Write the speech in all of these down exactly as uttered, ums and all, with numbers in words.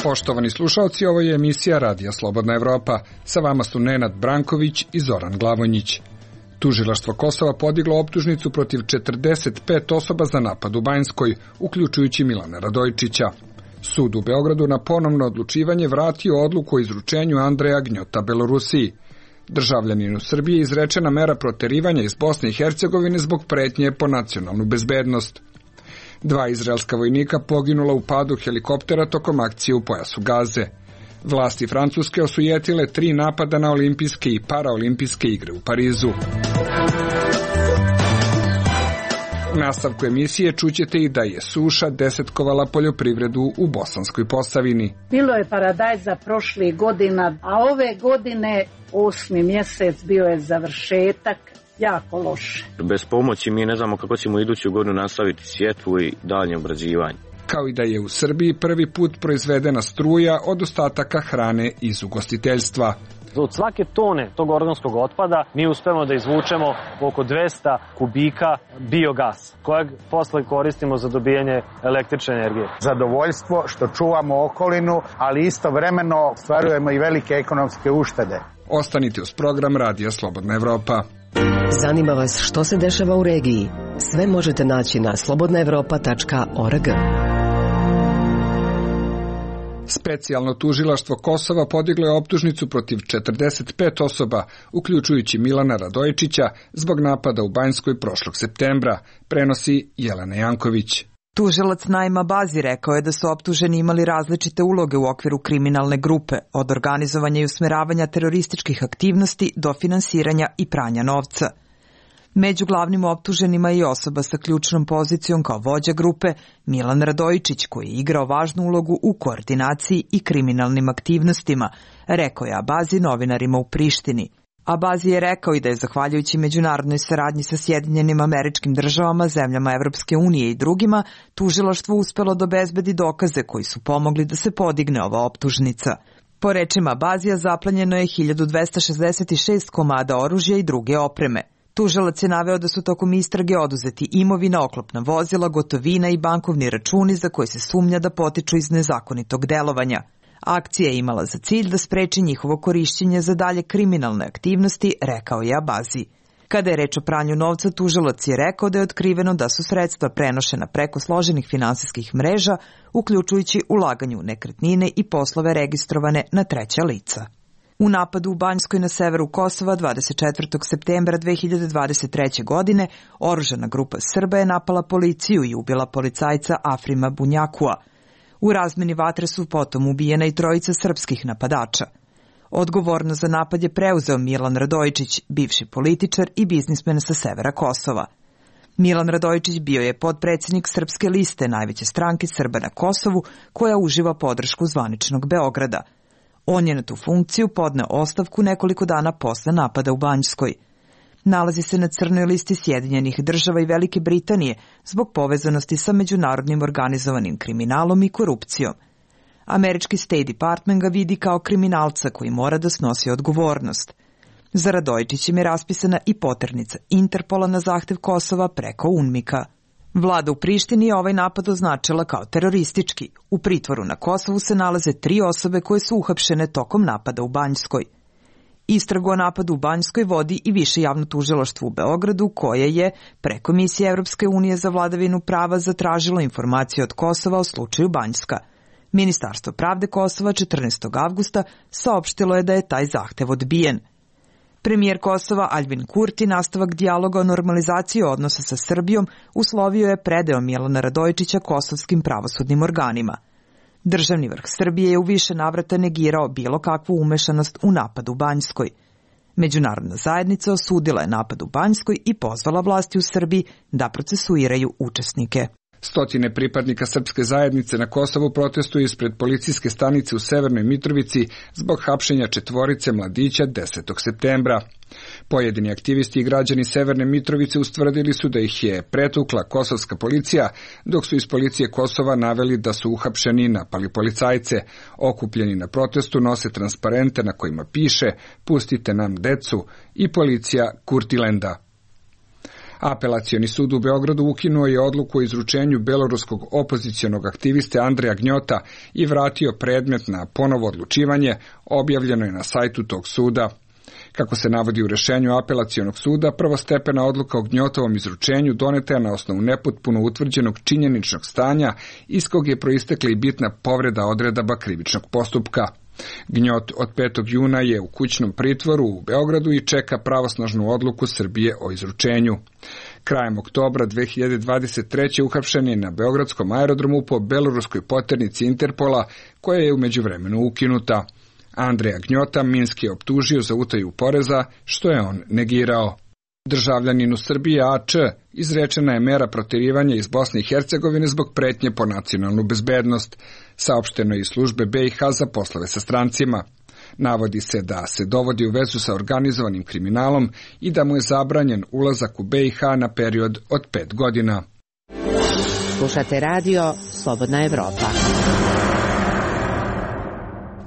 Poštovani slušalci, ovo je emisija Radija Slobodna Evropa. Sa vama su Nenad Branković i Zoran Glavonjić. Tužilaštvo Kosova podiglo optužnicu protiv četrdeset pet osoba za napad u Banjskoj, uključujući Milana Radojčića. Sud u Beogradu na ponovno odlučivanje vratio odluku o izručenju Andreja Gnjota Belorusiji. Državljaninu Srbije izrečena mera proterivanja iz Bosne i Hercegovine zbog pretnje po nacionalnu bezbednost. Dva izraelska vojnika poginula u padu helikoptera tokom akcije u pojasu Gaze. Vlasti Francuske osujetile tri napada na olimpijske i paraolimpijske igre u Parizu. U nastavku emisije čućete i da je suša desetkovala poljoprivredu u Bosanskoj Posavini. Bilo je paradajza prošlih godina, a ove godine osmi mjesec bio je završetak. Jako loše. Bez pomoći mi ne znamo kako ćemo iduću godinu nastaviti sjetvu i dalje obrađivanje. Kao i da je u Srbiji prvi put proizvedena struja od ostataka hrane iz ugostiteljstva. Od svake tone tog organskog otpada mi uspemo da izvučemo oko dvesta kubika biogasa, kojeg posle koristimo za dobijanje električne energije. Zadovoljstvo što čuvamo okolinu, ali istovremeno ostvarujemo i velike ekonomske uštede. Ostanite uz program Radija Slobodna Evropa. Zanima vas što se dešava u regiji? Sve možete naći na slobodna evropa tačka org. Specijalno tužilaštvo Kosova podiglo je optužnicu protiv četrdeset pet osoba, uključujući Milana Radojčića, zbog napada u Banjskoj prošlog septembra, prenosi Jelena Janković. Tužilac Naima Bazi rekao je da su optuženi imali različite uloge u okviru kriminalne grupe, od organizovanja i usmeravanja terorističkih aktivnosti do finansiranja i pranja novca. Među glavnim optuženima je i osoba sa ključnom pozicijom kao vođa grupe Milan Radojčić, koji je igrao važnu ulogu u koordinaciji i kriminalnim aktivnostima, rekao je Abazi novinarima u Prištini. Abazi je rekao i da je zahvaljujući međunarodnoj saradnji sa Sjedinjenim Američkim Državama, zemljama Evropske unije i drugima, tužilaštvo uspelo da obezbedi dokaze koji su pomogli da se podigne ova optužnica. Po rečima Abazija zaplenjeno je hiljadu dvesta šezdeset šest komada oružja i druge opreme. Tužilac je naveo da su tokom istrage oduzeti imovina, oklopna vozila, gotovina i bankovni računi za koje se sumnja da potiču iz nezakonitog delovanja. Akcija je imala za cilj da spreči njihovo korišćenje za dalje kriminalne aktivnosti, rekao je Abazi. Kada je reč o pranju novca, tužilac je rekao da je otkriveno da su sredstva prenošena preko složenih finansijskih mreža, uključujući ulaganje u nekretnine i poslove registrovane na treća lica. U napadu u Banjskoj na severu Kosova dvadeset četvrtog septembra dve hiljade dvadeset treće. godine oružana grupa Srba je napala policiju i ubila policajca Afrima Bunjakua. U razmeni vatre su potom ubijena i trojica srpskih napadača. Odgovornost za napad je preuzeo Milan Radojčić, bivši političar i biznismen sa severa Kosova. Milan Radojčić bio je potpredsjednik Srpske liste, najveće stranke Srba na Kosovu, koja uživa podršku zvaničnog Beograda. On je na tu funkciju podneo ostavku nekoliko dana posle napada u Banjskoj. Nalazi se na crnoj listi Sjedinjenih Država i Velike Britanije zbog povezanosti sa međunarodnim organizovanim kriminalom i korupcijom. Američki State Department ga vidi kao kriminalca koji mora da snosi odgovornost. Za Radojčićem je raspisana i poternica Interpola na zahtev Kosova preko UNMIK-a. Vlada u Prištini je ovaj napad označila kao teroristički. U pritvoru na Kosovu se nalaze tri osobe koje su uhapšene tokom napada u Banjskoj. Istragu o napadu u Banjskoj vodi i Više javno tužilaštvo u Beogradu, koje je preko Misije Evropske unije za vladavinu prava zatražilo informacije od Kosova o slučaju Banjska. Ministarstvo pravde Kosova četrnaestog avgusta saopštilo je da je taj zahtev odbijen. Premijer Kosova Aljbin Kurti nastavak dijaloga o normalizaciji odnosa sa Srbijom uslovio je predeo Milana Radojčića kosovskim pravosudnim organima. Državni vrh Srbije je u više navrata negirao bilo kakvu umešanost u napad u Banjskoj. Međunarodna zajednica osudila je napad u Banjskoj i pozvala vlasti u Srbiji da procesuiraju učesnike. Stotine pripadnika srpske zajednice na Kosovu protestuju ispred policijske stanice u Severnoj Mitrovici zbog hapšenja četvorice mladića desetog septembra. Pojedini aktivisti i građani Severne Mitrovice ustvrdili su da ih je pretukla kosovska policija, dok su iz policije Kosova naveli da su uhapšeni i napali policajce. Okupljeni na protestu nose transparente na kojima piše "Pustite nam decu" i "Policija Kurtilenda". Apelacioni sud u Beogradu ukinuo je odluku o izručenju beloruskog opozicionog aktiviste Andreja Gnjota i vratio predmet na ponovo odlučivanje, objavljeno je na sajtu tog suda. Kako se navodi u rešenju apelacionog suda, prvostepena odluka o Gnjotovom izručenju doneta je na osnovu nepotpuno utvrđenog činjeničnog stanja iz kog je proistekla i bitna povreda odredaba krivičnog postupka. Gnjot od petog juna je u kućnom pritvoru u Beogradu i čeka pravosnažnu odluku Srbije o izručenju. Krajem oktobra dve hiljade dvadeset treće uhapšen je na beogradskom aerodromu po beloruskoj poternici Interpola, koja je u međuvremenu ukinuta. Andreja Gnjota Minski je optužio za utaju poreza, što je on negirao. Državljaninu Srbije A Č izrečena je mera protjerivanja iz Bosne i Hercegovine zbog pretnje po nacionalnu bezbednost, saopšteno je iz službe B i H za poslove sa strancima. Navodi se da se dovodi u vezu sa organizovanim kriminalom i da mu je zabranjen ulazak u B i H na period od pet godina. Slušate radio Slobodna Evropa.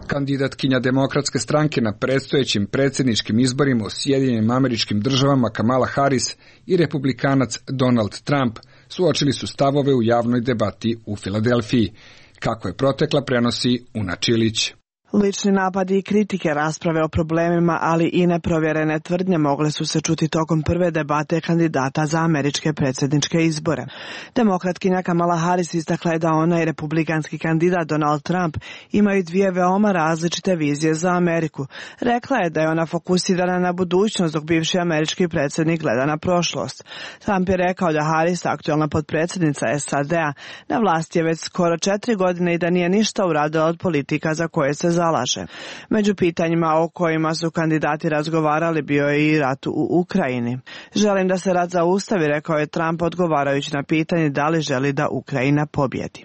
Kandidatkinja Demokratske stranke na predstojećim predsjedničkim izborima u Sjedinjenim Američkim Državama Kamala Harris i republikanac Donald Trump suočili su stavove u javnoj debati u Filadelfiji. Kako je protekla, prenosi Una Čilić. Lični napadi i kritike, rasprave o problemima, ali i neprovjerene tvrdnje mogle su se čuti tokom prve debate kandidata za američke predsjedničke izbore. Demokratkinja Kamala Harris istakla je da ona i republikanski kandidat Donald Trump imaju dvije veoma različite vizije za Ameriku. Rekla je da je ona fokusirana na budućnost, dok bivši američki predsjednik gleda na prošlost. Trump je rekao da Harris, aktualna potpredsjednica S A D-a, na vlasti je već skoro četiri godine i da nije ništa uradila od politika za koje se zalaže. Među pitanjima o kojima su kandidati razgovarali bio je i rat u Ukrajini. Želim da se rat zaustavi, rekao je Trump odgovarajući na pitanje da li želi da Ukrajina pobjedi.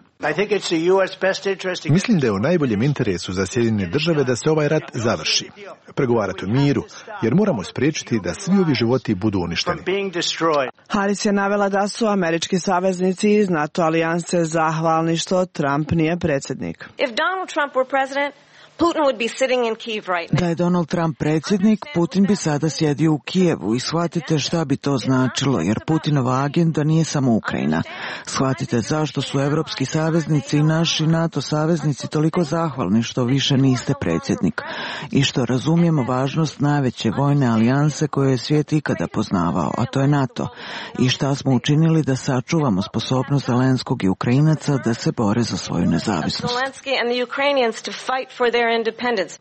Mislim da je u najboljem interesu za Sjedinjene Države da se ovaj rat završi. Pregovarati o miru, jer moramo spriječiti da svi ovi životi budu uništeni. Harris je navela da su američki saveznici iz NATO alijanse zahvalni što Trump nije predsjednik. Da je Donald Trump predsjednik, Putin bi sada sjedio u Kijevu i shvatite šta bi to značilo, jer Putinova agenda nije samo Ukrajina. Shvatite zašto su evropski saveznici i naši NATO saveznici toliko zahvalni što više niste predsjednik i što razumijemo važnost najveće vojne alijanse koju je svijet ikada poznavao, a to je NATO, i šta smo učinili da sačuvamo sposobnost Zelenskog i Ukrajinaca da se bore za svoju nezavisnost.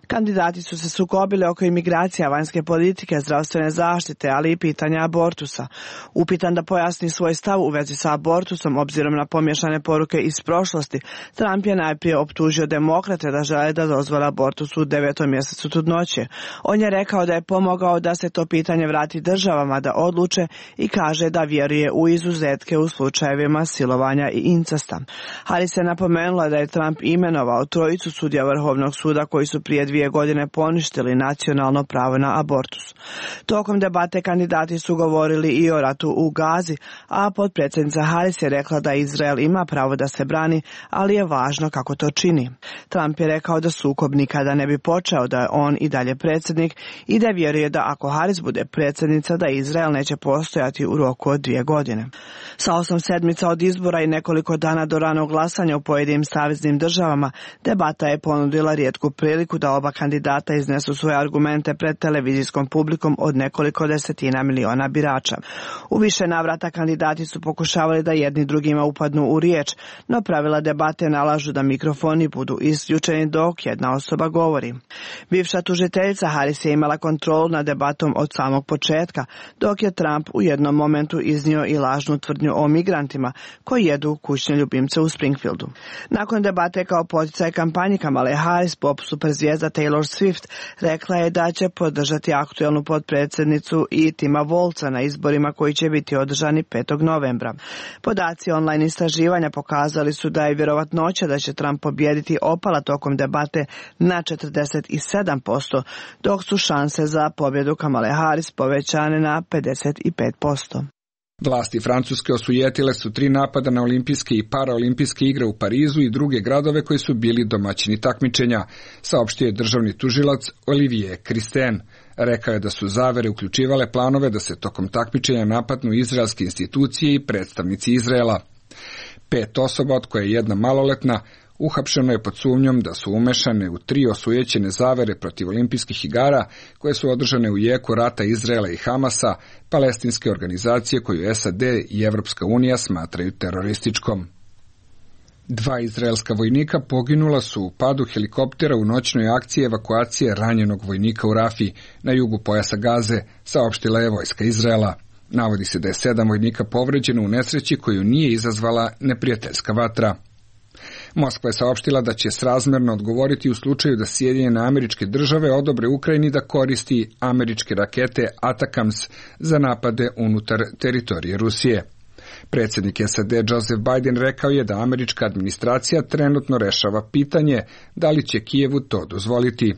Kandidati su se sukobili oko imigracija, vanjske politike, zdravstvene zaštite, ali i pitanja abortusa. Upitan da pojasni svoj stav u vezi sa abortusom, obzirom na pomiješane poruke iz prošlosti, Trump je najprije optužio demokrate da žele da dozvole abortus u devetom mjesecu trudnoće. On je rekao da je pomogao da se to pitanje vrati državama da odluče i kaže da vjeruje u izuzetke u slučajevima silovanja i incesta. Harris je napomenula da je Trump imenovao trojicu sudija Vrhovnog suda koji su prije dvije godine poništili nacionalno pravo na abortus. Tokom debate kandidati su govorili i o ratu u Gazi, a potpredsjednica Harris je rekla da Izrael ima pravo da se brani, ali je važno kako to čini. Trump je rekao da sukob nikada ne bi počeo, da je on i dalje predsjednik i da vjeruje da ako Harris bude predsjednica, da Izrael neće postojati u roku od dvije godine. Sa osam sedmica od izbora i nekoliko dana do ranog glasanja u pojedinim saveznim državama, debata je ponudila rijetku priliku da oba kandidata iznesu svoje argumente pred televizijskom publikom od nekoliko desetina miliona birača. U više navrata kandidati su pokušavali da jedni drugima upadnu u riječ, no pravila debate nalažu da mikrofoni budu isključeni dok jedna osoba govori. Bivša tužiteljica Harris je imala kontrolu nad debatom od samog početka, dok je Trump u jednom momentu iznio i lažnu tvrdnju o migrantima koji jedu kućne ljubimce u Springfieldu. Nakon debate kao poticaj kampanji Kamale Harris, pop superzvijezda Taylor Swift rekla je da će podržati aktuelnu potpredsjednicu i Tima Wolca na izborima koji će biti održani petog novembra. Podaci online istraživanja pokazali su da je vjerovatnoća da će Trump pobijediti opala tokom debate na četrdeset sedam posto, dok su šanse za pobjedu Kamale Harris povećane na pedeset pet posto. Vlasti Francuske osujetile su tri napada na olimpijske i paraolimpijske igre u Parizu i druge gradove koji su bili domaćini takmičenja, saopštio je državni tužilac Olivier Christen. Rekao je da su zavere uključivale planove da se tokom takmičenja napadnu izraelske institucije i predstavnici Izraela. Pet osoba, od koje je jedna maloletna, uhapšeno je pod sumnjom da su umešane u tri osujećene zavere protiv olimpijskih igara koje su održane u jeku rata Izraela i Hamasa, palestinske organizacije koju S A D i Evropska unija smatraju terorističkom. Dva izraelska vojnika poginula su u padu helikoptera u noćnoj akciji evakuacije ranjenog vojnika u Rafi na jugu pojasa Gaze, saopštila je vojska Izraela. Navodi se da je sedam vojnika povređeno u nesreći koju nije izazvala neprijateljska vatra. Moskva je saopštila da će srazmerno odgovoriti u slučaju da Sjedinjene Američke Države odobre Ukrajini da koristi američke rakete Atacams za napade unutar teritorije Rusije. Predsjednik S A D Joseph Biden rekao je da američka administracija trenutno rešava pitanje da li će Kijevu to dozvoliti.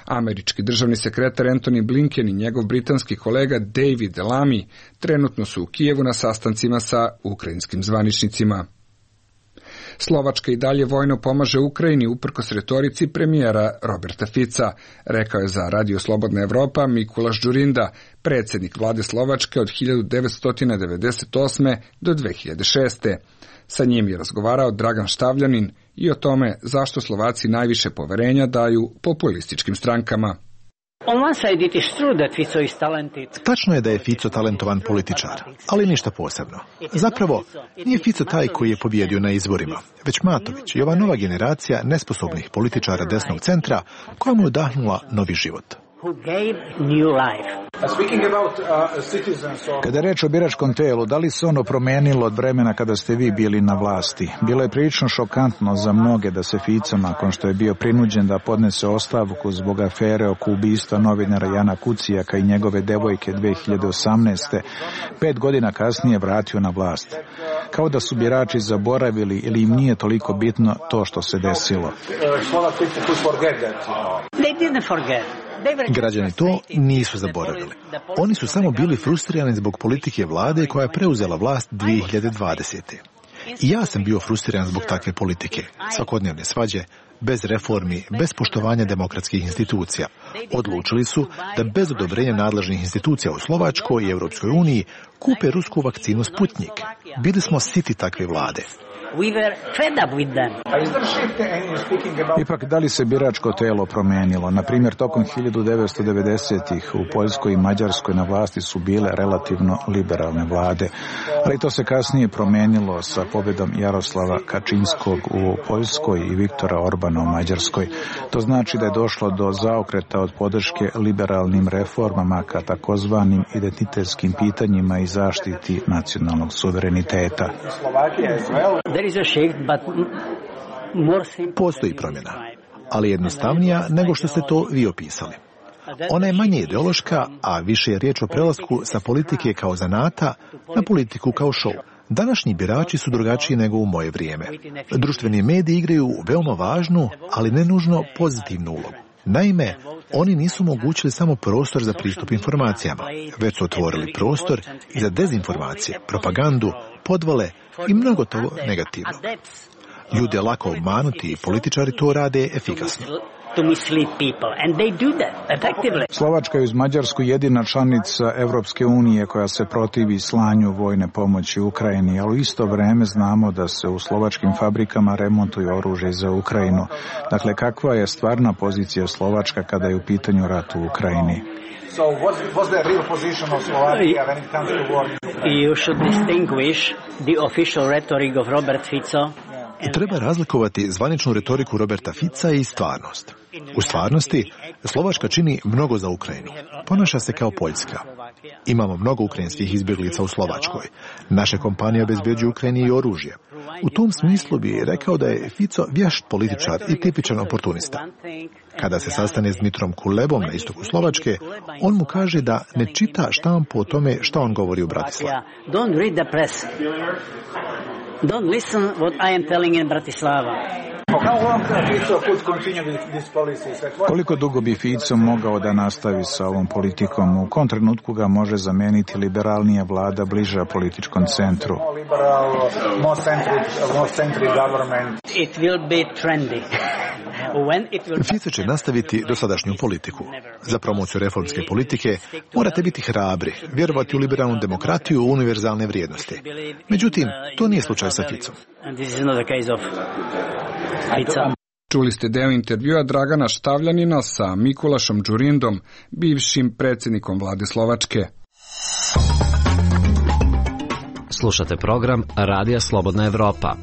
Američki državni sekretar Antony Blinken i njegov britanski kolega David Lammy trenutno su u Kijevu na sastancima sa ukrajinskim zvaničnicima. Slovačka i dalje vojno pomaže Ukrajini uprkos retorici premijera Roberta Fica, rekao je za Radio Slobodna Evropa Mikulaš Đurinda, predsjednik vlade Slovačke od hiljadu devetsto devedeset osme do dve hiljade šeste. Sa njim je razgovarao Dragan Štavljanin i o tome zašto Slovaci najviše poverenja daju populističkim strankama. Tačno je da je Fico talentovan političar, ali ništa posebno. Zapravo, nije Fico taj koji je pobjedio na izborima, već Matović i ova nova generacija nesposobnih političara desnog centra koja mu je udahnula novi život. Kada je reč o biračkom telu, da li se ono promenilo od vremena kada ste vi bili na vlasti? Bilo je prilično šokantno za mnoge da se Fico, nakon što je bio prinuđen da podnese ostavku zbog afere oko ubistva novinara Jana Kucijaka i njegove devojke dve hiljade osamnaeste. Pet godina kasnije vratio na vlast. Kao da su birači zaboravili ili im nije toliko bitno to što se desilo. Građani to nisu zaboravili. Oni su samo bili frustrirani zbog politike vlade koja je preuzela vlast dvije hiljade dvadesete. I ja sam bio frustriran zbog takve politike. Svakodnevne svađe, bez reformi, bez poštovanja demokratskih institucija. Odlučili su da bez odobrenja nadležnih institucija u Slovačkoj i Europskoj uniji kupe rusku vakcinu Sputnik. Bili smo siti takve vlade. We were fed up with them. Ipak, da li se biračko telo promenilo? Na primjer, tokom hiljadu devetsto devedesetih u Poljskoj i Mađarskoj na vlasti su bile relativno liberalne vlade, ali to se kasnije promenilo sa pobjedom Jaroslava Kačinskog u Poljskoj i Viktora Orbana u Mađarskoj. To znači da je došlo do zaokreta od podrške liberalnim reformama ka takozvanim identitetskim pitanjima i zaštiti nacionalnog suvereniteta. Postoji promjena, ali jednostavnija nego što ste to vi opisali. Ona je manje ideološka, a više je riječ o prelasku sa politike kao zanata na politiku kao show. Današnji birači su drugačiji nego u moje vrijeme. Društveni mediji igraju veoma važnu, ali ne nužno pozitivnu ulogu. Naime, oni nisu omogućili samo prostor za pristup informacijama, već su otvorili prostor i za dezinformacije, propagandu, podvale i mnogo toga negativno. Ljude je lako obmanuti i političari to rade efikasno. Slovačka je uz Mađarsku jedina članica Evropske unije koja se protivi slanju vojne pomoći Ukrajini, ali u isto vrijeme znamo da se u slovačkim fabrikama remontuju oružje za Ukrajinu. Dakle, kakva je stvarna pozicija Slovačka kada je u pitanju rat u Ukrajini? So what's, what's the real position of Slovakia when it comes to war? You should distinguish the official rhetoric of Robert Fico Treba razlikovati zvaničnu retoriku Roberta Fica i stvarnost. U stvarnosti, Slovačka čini mnogo za Ukrajinu. Ponaša se kao Poljska. Imamo mnogo ukrajinskih izbjeglica u Slovačkoj. Naše kompanije obezbeđuju Ukrajini i oružje. U tom smislu bi rekao da je Fico vješt političar i tipičan oportunista. Kada se sastane s Dmitrom Kulebom na istoku Slovačke, on mu kaže da ne čita štampu o tome šta on govori u Bratislavi. Don't read the press. Don't listen what I am telling in Bratislava. Koliko dugo bi Fico mogao da nastavi sa ovom politikom? U kom trenutku ga može zameniti liberalnija vlada bliža političkom centru? It will be trendy. Fico će nastaviti dosadašnju politiku. Za promociju reformske politike morate biti hrabri, vjerovati u liberalnu demokratiju i univerzalne vrijednosti. Međutim, to nije slučaj sa Ficom. Čuli ste deo intervjua Dragana Štavljanina sa Mikulašom Đurindom, bivšim predsjednikom vlade Slovačke. Slušate program Radija Slobodna Evropa.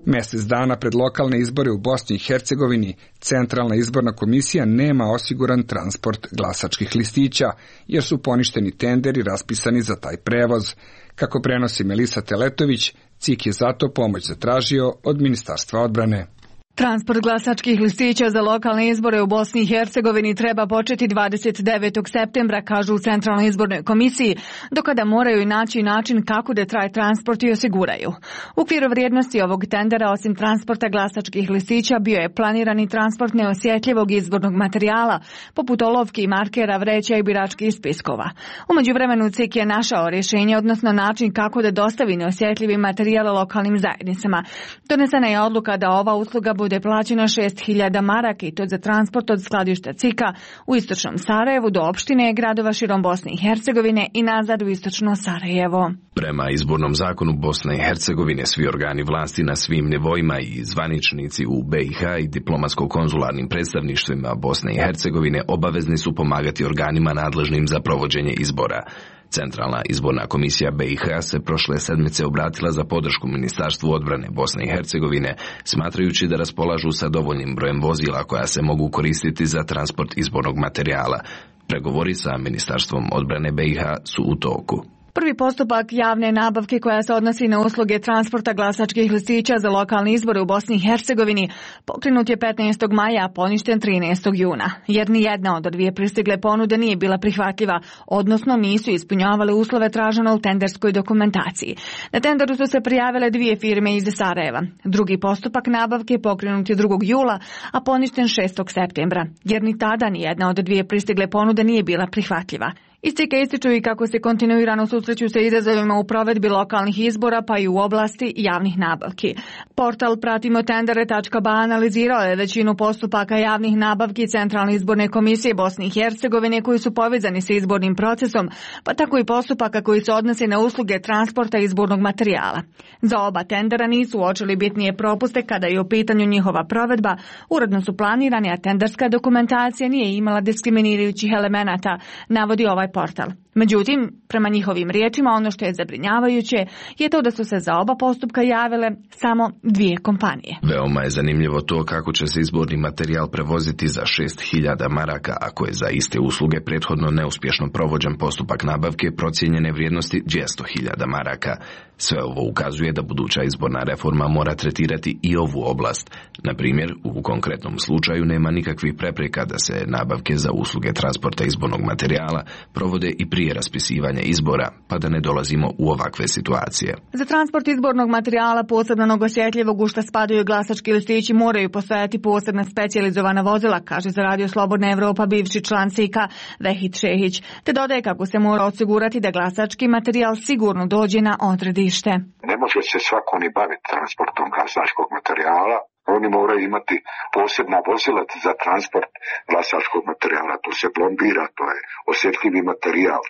Mjesec dana pred lokalne izbore u Bosni i Hercegovini, Centralna izborna komisija nema osiguran transport glasačkih listića, jer su poništeni tenderi raspisani za taj prevoz. Kako prenosi Melisa Teletović, C I K je zato pomoć zatražio od Ministarstva odbrane. Transport glasačkih listića za lokalne izbore u Bosni i Hercegovini treba početi dvadeset devetog septembra, kažu u Centralnoj izbornoj komisiji, do kada moraju i naći način kako da traje transport i osiguraju. U okviru vrijednosti ovog tendera, osim transporta glasačkih listića, bio je planirani transport neosjetljivog izbornog materijala, poput olovki i markera, vreća i biračkih spiskova. U međuvremenu C I K je našao rješenje, odnosno način kako da dostavi neosjetljivi materijal lokalnim zajednicama. Donesena je odluka da ova usluga bude plaćena šest hiljada maraka i to za transport od skladišta C I K-a u istočnom Sarajevu do opštine i gradova širom Bosne i Hercegovine i nazad u istočno Sarajevo. Prema izbornom zakonu Bosne i Hercegovine, svi organi vlasti na svim nivoima i zvaničnici u B i H i diplomatsko-konzularnim predstavništvima Bosne i Hercegovine obavezni su pomagati organima nadležnim za provođenje izbora. Centralna izborna komisija B i H se prošle sedmice obratila za podršku Ministarstvu odbrane Bosne i Hercegovine, smatrajući da raspolažu sa dovoljnim brojem vozila koja se mogu koristiti za transport izbornog materijala. Pregovori sa Ministarstvom odbrane B i H su u toku. Prvi postupak javne nabavke koja se odnosi na usluge transporta glasačkih listića za lokalne izbore u Bosni i Hercegovini pokrenut je petnaestog maja, a poništen trinaestog juna, jer ni jedna od dvije pristigle ponude nije bila prihvatljiva, odnosno nisu ispunjavale uslove traženo u tenderskoj dokumentaciji. Na tenderu su se prijavile dvije firme iz Sarajeva. Drugi postupak nabavke pokrenut je drugog jula, a poništen šestog septembra, jer ni tada ni jedna od dvije pristigle ponude nije bila prihvatljiva. Iz C I K-a ističu i kako se kontinuirano susreću sa izazovima u provedbi lokalnih izbora pa i u oblasti javnih nabavki. Portal pratimo tendere tačka b a analizirao je većinu postupaka javnih nabavki Centralne izborne komisije Bosne i Hercegovine koji su povezani sa izbornim procesom, pa tako i postupaka koji se odnose na usluge transporta izbornog materijala. Za oba tendera nisu uočili bitnije propuste kada je u pitanju njihova provedba, uredno su planirani, a tenderska dokumentacija nije imala diskriminirajućih elemenata, navodi ovaj portal. Međutim, prema njihovim riječima, ono što je zabrinjavajuće je to da su se za oba postupka javile samo dvije kompanije. Veoma je zanimljivo to kako će se izborni materijal prevoziti za šest hiljada maraka, ako je za iste usluge prethodno neuspješno provođen postupak nabavke procijenjene vrijednosti dvjesto hiljada maraka. Sve ovo ukazuje da buduća izborna reforma mora tretirati i ovu oblast. Na primjer, u konkretnom slučaju nema nikakvih prepreka da se nabavke za usluge transporta izbornog materijala provode i prije raspisivanja izbora, pa da ne dolazimo u ovakve situacije. Za transport izbornog materijala posebno osjetljivog u šta spadaju glasački listići moraju postojati posebna specijalizovana vozila, kaže za Radio Slobodna Evropa bivši član C I K-a Vehid Šehić, te dodaje kako se mora osigurati da glasački materijal sigurno dođe na odredište. Ne može se svako ni baviti transportom glasačkog materijala. Oni moraju imati posebna vozila za transport glasačkog materijala. To se plombira, to je osjetljivi materijal.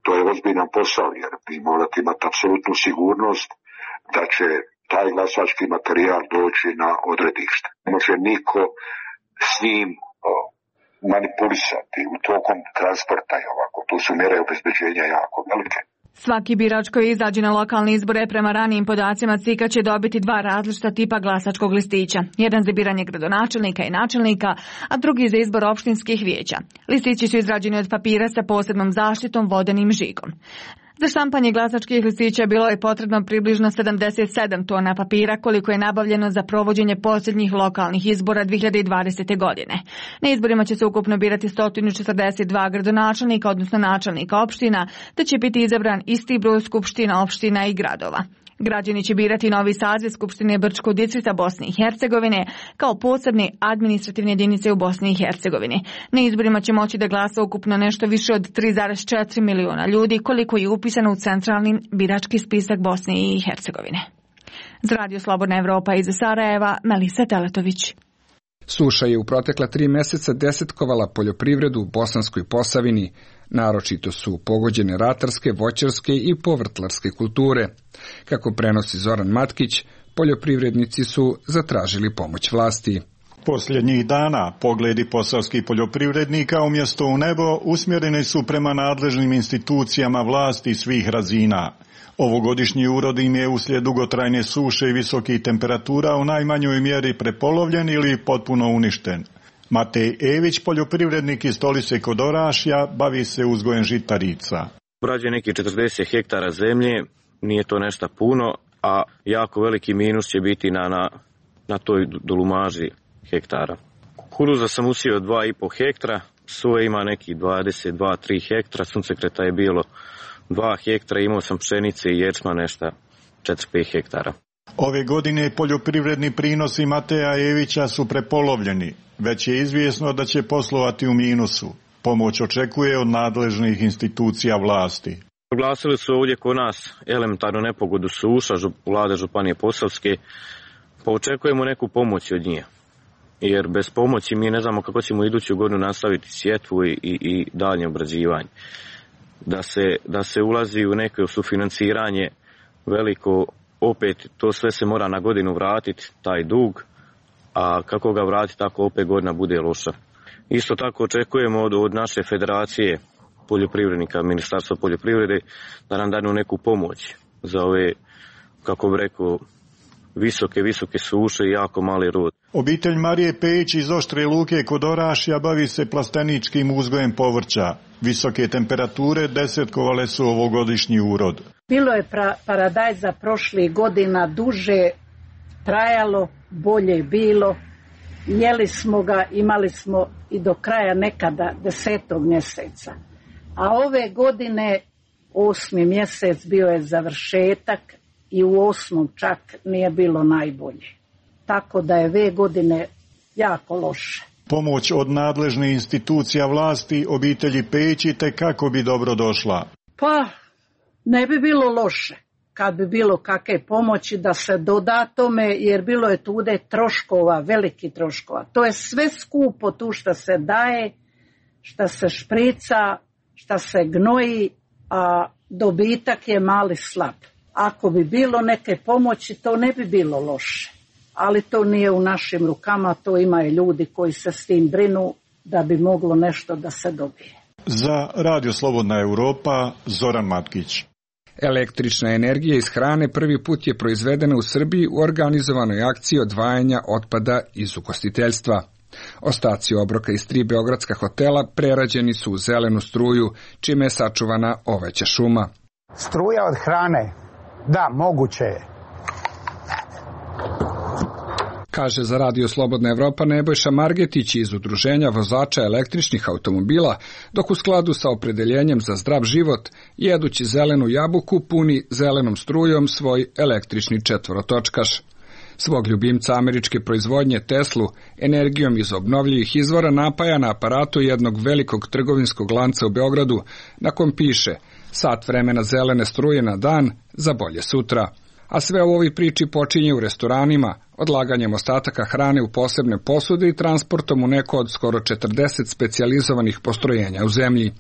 To je ozbiljan posao jer vi morate imati apsolutnu sigurnost da će taj glasački materijal doći na odredište. Ne može niko s njim manipulisati u tokom transporta i ovako. Tu su mjere obezbeđenja jako velike. Svaki birač koji izađe na lokalne izbore prema ranijim podacima C I K-a će dobiti dva različita tipa glasačkog listića. Jedan za biranje gradonačelnika i načelnika, a drugi za izbor opštinskih vijeća. Listići su izrađeni od papira sa posebnom zaštitom vodenim žigom. Za štampanje glasačkih listića bilo je potrebno približno sedamdeset sedam tona papira koliko je nabavljeno za provođenje posljednjih lokalnih izbora dve hiljade dvadesete. godine. Na izborima će se ukupno birati sto četrdeset dva gradonačelnika, odnosno načelnika opština, te će biti izabran isti broj skupština opština i gradova. Građani će birati novi saziv Skupštine Brčkog distrikta Bosne i Hercegovine kao posebne administrativne jedinice u Bosni i Hercegovini. Na izborima će moći da glasa ukupno nešto više od tri zarez četiri miliona ljudi, koliko je upisano u centralni birački spisak Bosne i Hercegovine. Za Radio Slobodna Evropa iz Sarajeva, Melisa Teletović. Suša je u protekla tri meseca desetkovala poljoprivredu u Bosanskoj Posavini. Naročito su pogođene ratarske, voćarske i povrtlarske kulture. Kako prenosi Zoran Matkić, poljoprivrednici su zatražili pomoć vlasti. Posljednjih dana pogledi posavskih poljoprivrednika umjesto u nebo usmjereni su prema nadležnim institucijama vlasti svih razina. Ovogodišnji urod im je uslijed dugotrajne suše i visokih temperatura u najmanjoj mjeri prepolovljen ili potpuno uništen. Matej Ević, poljoprivrednik iz Stolice kod Orašja, bavi se uzgojem žitarica. Obrađuje neki četrdeset hektara zemlje, nije to nešto puno, a jako veliki minus će biti na, na, na toj dolumaži hektara. Kukuruza sam usio dva i pol hektara, soje ima neki dvadeset dva tri hektara, suncekreta je bilo dva hektara, imao sam pšenice i ječma nešto četiri pet hektara. Ove godine poljoprivredni prinosi Mateja Evića su prepolovljeni. Već je izvjesno da će poslovati u minusu. Pomoć očekuje od nadležnih institucija vlasti. Oglasili su ovdje kod nas elementarnu nepogodu suša, vlade Županije Posavske, pa očekujemo neku pomoć od njih. Jer bez pomoći mi ne znamo kako ćemo iduću godinu nastaviti sjetvu i, i, i daljnje obrađivanje. Da se, da se ulazi u neko sufinanciranje veliko, opet to sve se mora na godinu vratiti, taj dug, a kako ga vratiti tako opet godina bude loša. Isto tako očekujemo od, od naše federacije poljoprivrednika, Ministarstva poljoprivrede, da nam danu neku pomoć za ove, kako bi rekao, visoke, visoke suše i jako mali rod. Obitelj Marije Pejić iz Oštre Luke kod Orašja bavi se plasteničkim uzgojem povrća. Visoke temperature desetkovale su ovogodišnji urod. Bilo je pra, paradajza prošlih godina duže trajalo, bolje bilo. Jeli smo ga, imali smo i do kraja nekada desetog mjeseca. A ove godine osmi mjesec bio je završetak i u osmom čak nije bilo najbolje. Tako da je ove godine jako loše. Pomoć od nadležnih institucija vlasti obitelji Pejić te kako bi dobro došla? Pa ne bi bilo loše kad bi bilo kakve pomoći da se doda tome, jer bilo je tude troškova, veliki troškova. To je sve skupo tu što se daje, što se šprica, što se gnoji, a dobitak je mali slab. Ako bi bilo neke pomoći, to ne bi bilo loše. Ali to nije u našim rukama, to imaju ljudi koji se s tim brinu da bi moglo nešto da se dobije. Za Radio Slobodna Europa, Zoran Matkić. Električna energija iz hrane prvi put je proizvedena u Srbiji u organizovanoj akciji odvajanja otpada iz ugostiteljstva. Ostaci obroka iz tri beogradska hotela prerađeni su u zelenu struju, čime je sačuvana oveća šuma. Struja od hrane, da, moguće je. Kaže za Radio Slobodna Evropa Nebojša Margetić iz Udruženja vozača električnih automobila, dok u skladu sa opredeljenjem za zdrav život, jedući zelenu jabuku, puni zelenom strujom svoj električni četvorotočkaš. Svog ljubimca američke proizvodnje Teslu energijom iz obnovljivih izvora napaja na aparatu jednog velikog trgovinskog lanca u Beogradu, na kom piše sat vremena zelene struje na dan za bolje sutra. A sve u ovoj priči počinje u restoranima, odlaganjem ostataka hrane u posebne posude i transportom u neko od skoro četrdeset specijalizovanih postrojenja u zemlji.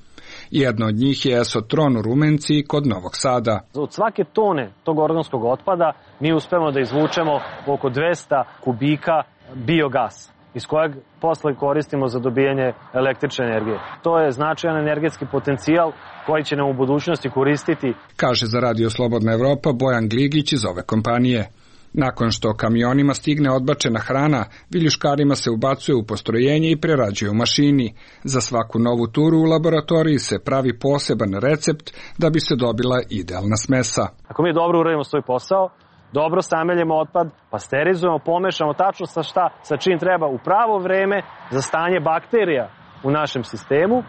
Jedno od njih je Esotron u Rumenci kod Novog Sada. Od svake tone tog organskog otpada mi uspemo da izvučemo oko dvesta kubika biogasa, iz kojeg posle koristimo za dobijanje električne energije. To je značajan energetski potencijal koji će nam u budućnosti koristiti. Kaže za Radio Slobodna Evropa Bojan Gligić iz ove kompanije. Nakon što kamionima stigne odbačena hrana, viljuškarima se ubacuje u postrojenje i prerađuje u mašini. Za svaku novu turu u laboratoriji se pravi poseban recept da bi se dobila idealna smesa. Ako mi dobro uradimo svoj posao, dobro sameljemo otpad, pasterizujemo, pomešamo tačno sa šta, sa čim treba u pravo vreme za stanje bakterija u našem sistemu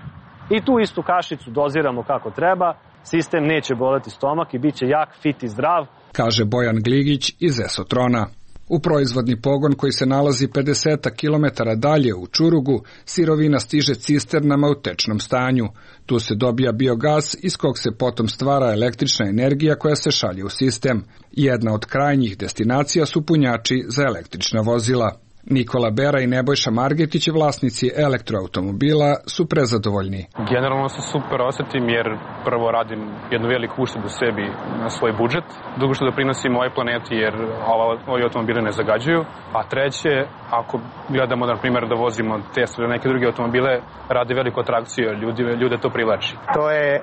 i tu istu kašicu doziramo kako treba, sistem neće boleti stomak i bit će jak, fit i zdrav. Kaže Bojan Gligić iz Esotrona. U proizvodni pogon koji se nalazi pedeset kilometara dalje u Čurugu, sirovina stiže cisternama u tečnom stanju. Tu se dobija biogas iz kog se potom stvara električna energija koja se šalje u sistem. Jedna od krajnjih destinacija su punjači za električna vozila. Nikola Bera i Nebojša Margetić, vlasnici elektroautomobila, su prezadovoljni. Generalno se super osetim jer prvo radim jednu veliku uštedu sebi na svoj budžet, drugo što doprinosim ovoj planeti jer ovi automobili ne zagađuju, a treće, ako gledamo na primjer da vozimo Tesla ili neke druge automobile, radi veliku atrakciju, ljudi, ljude to privlači. To je e,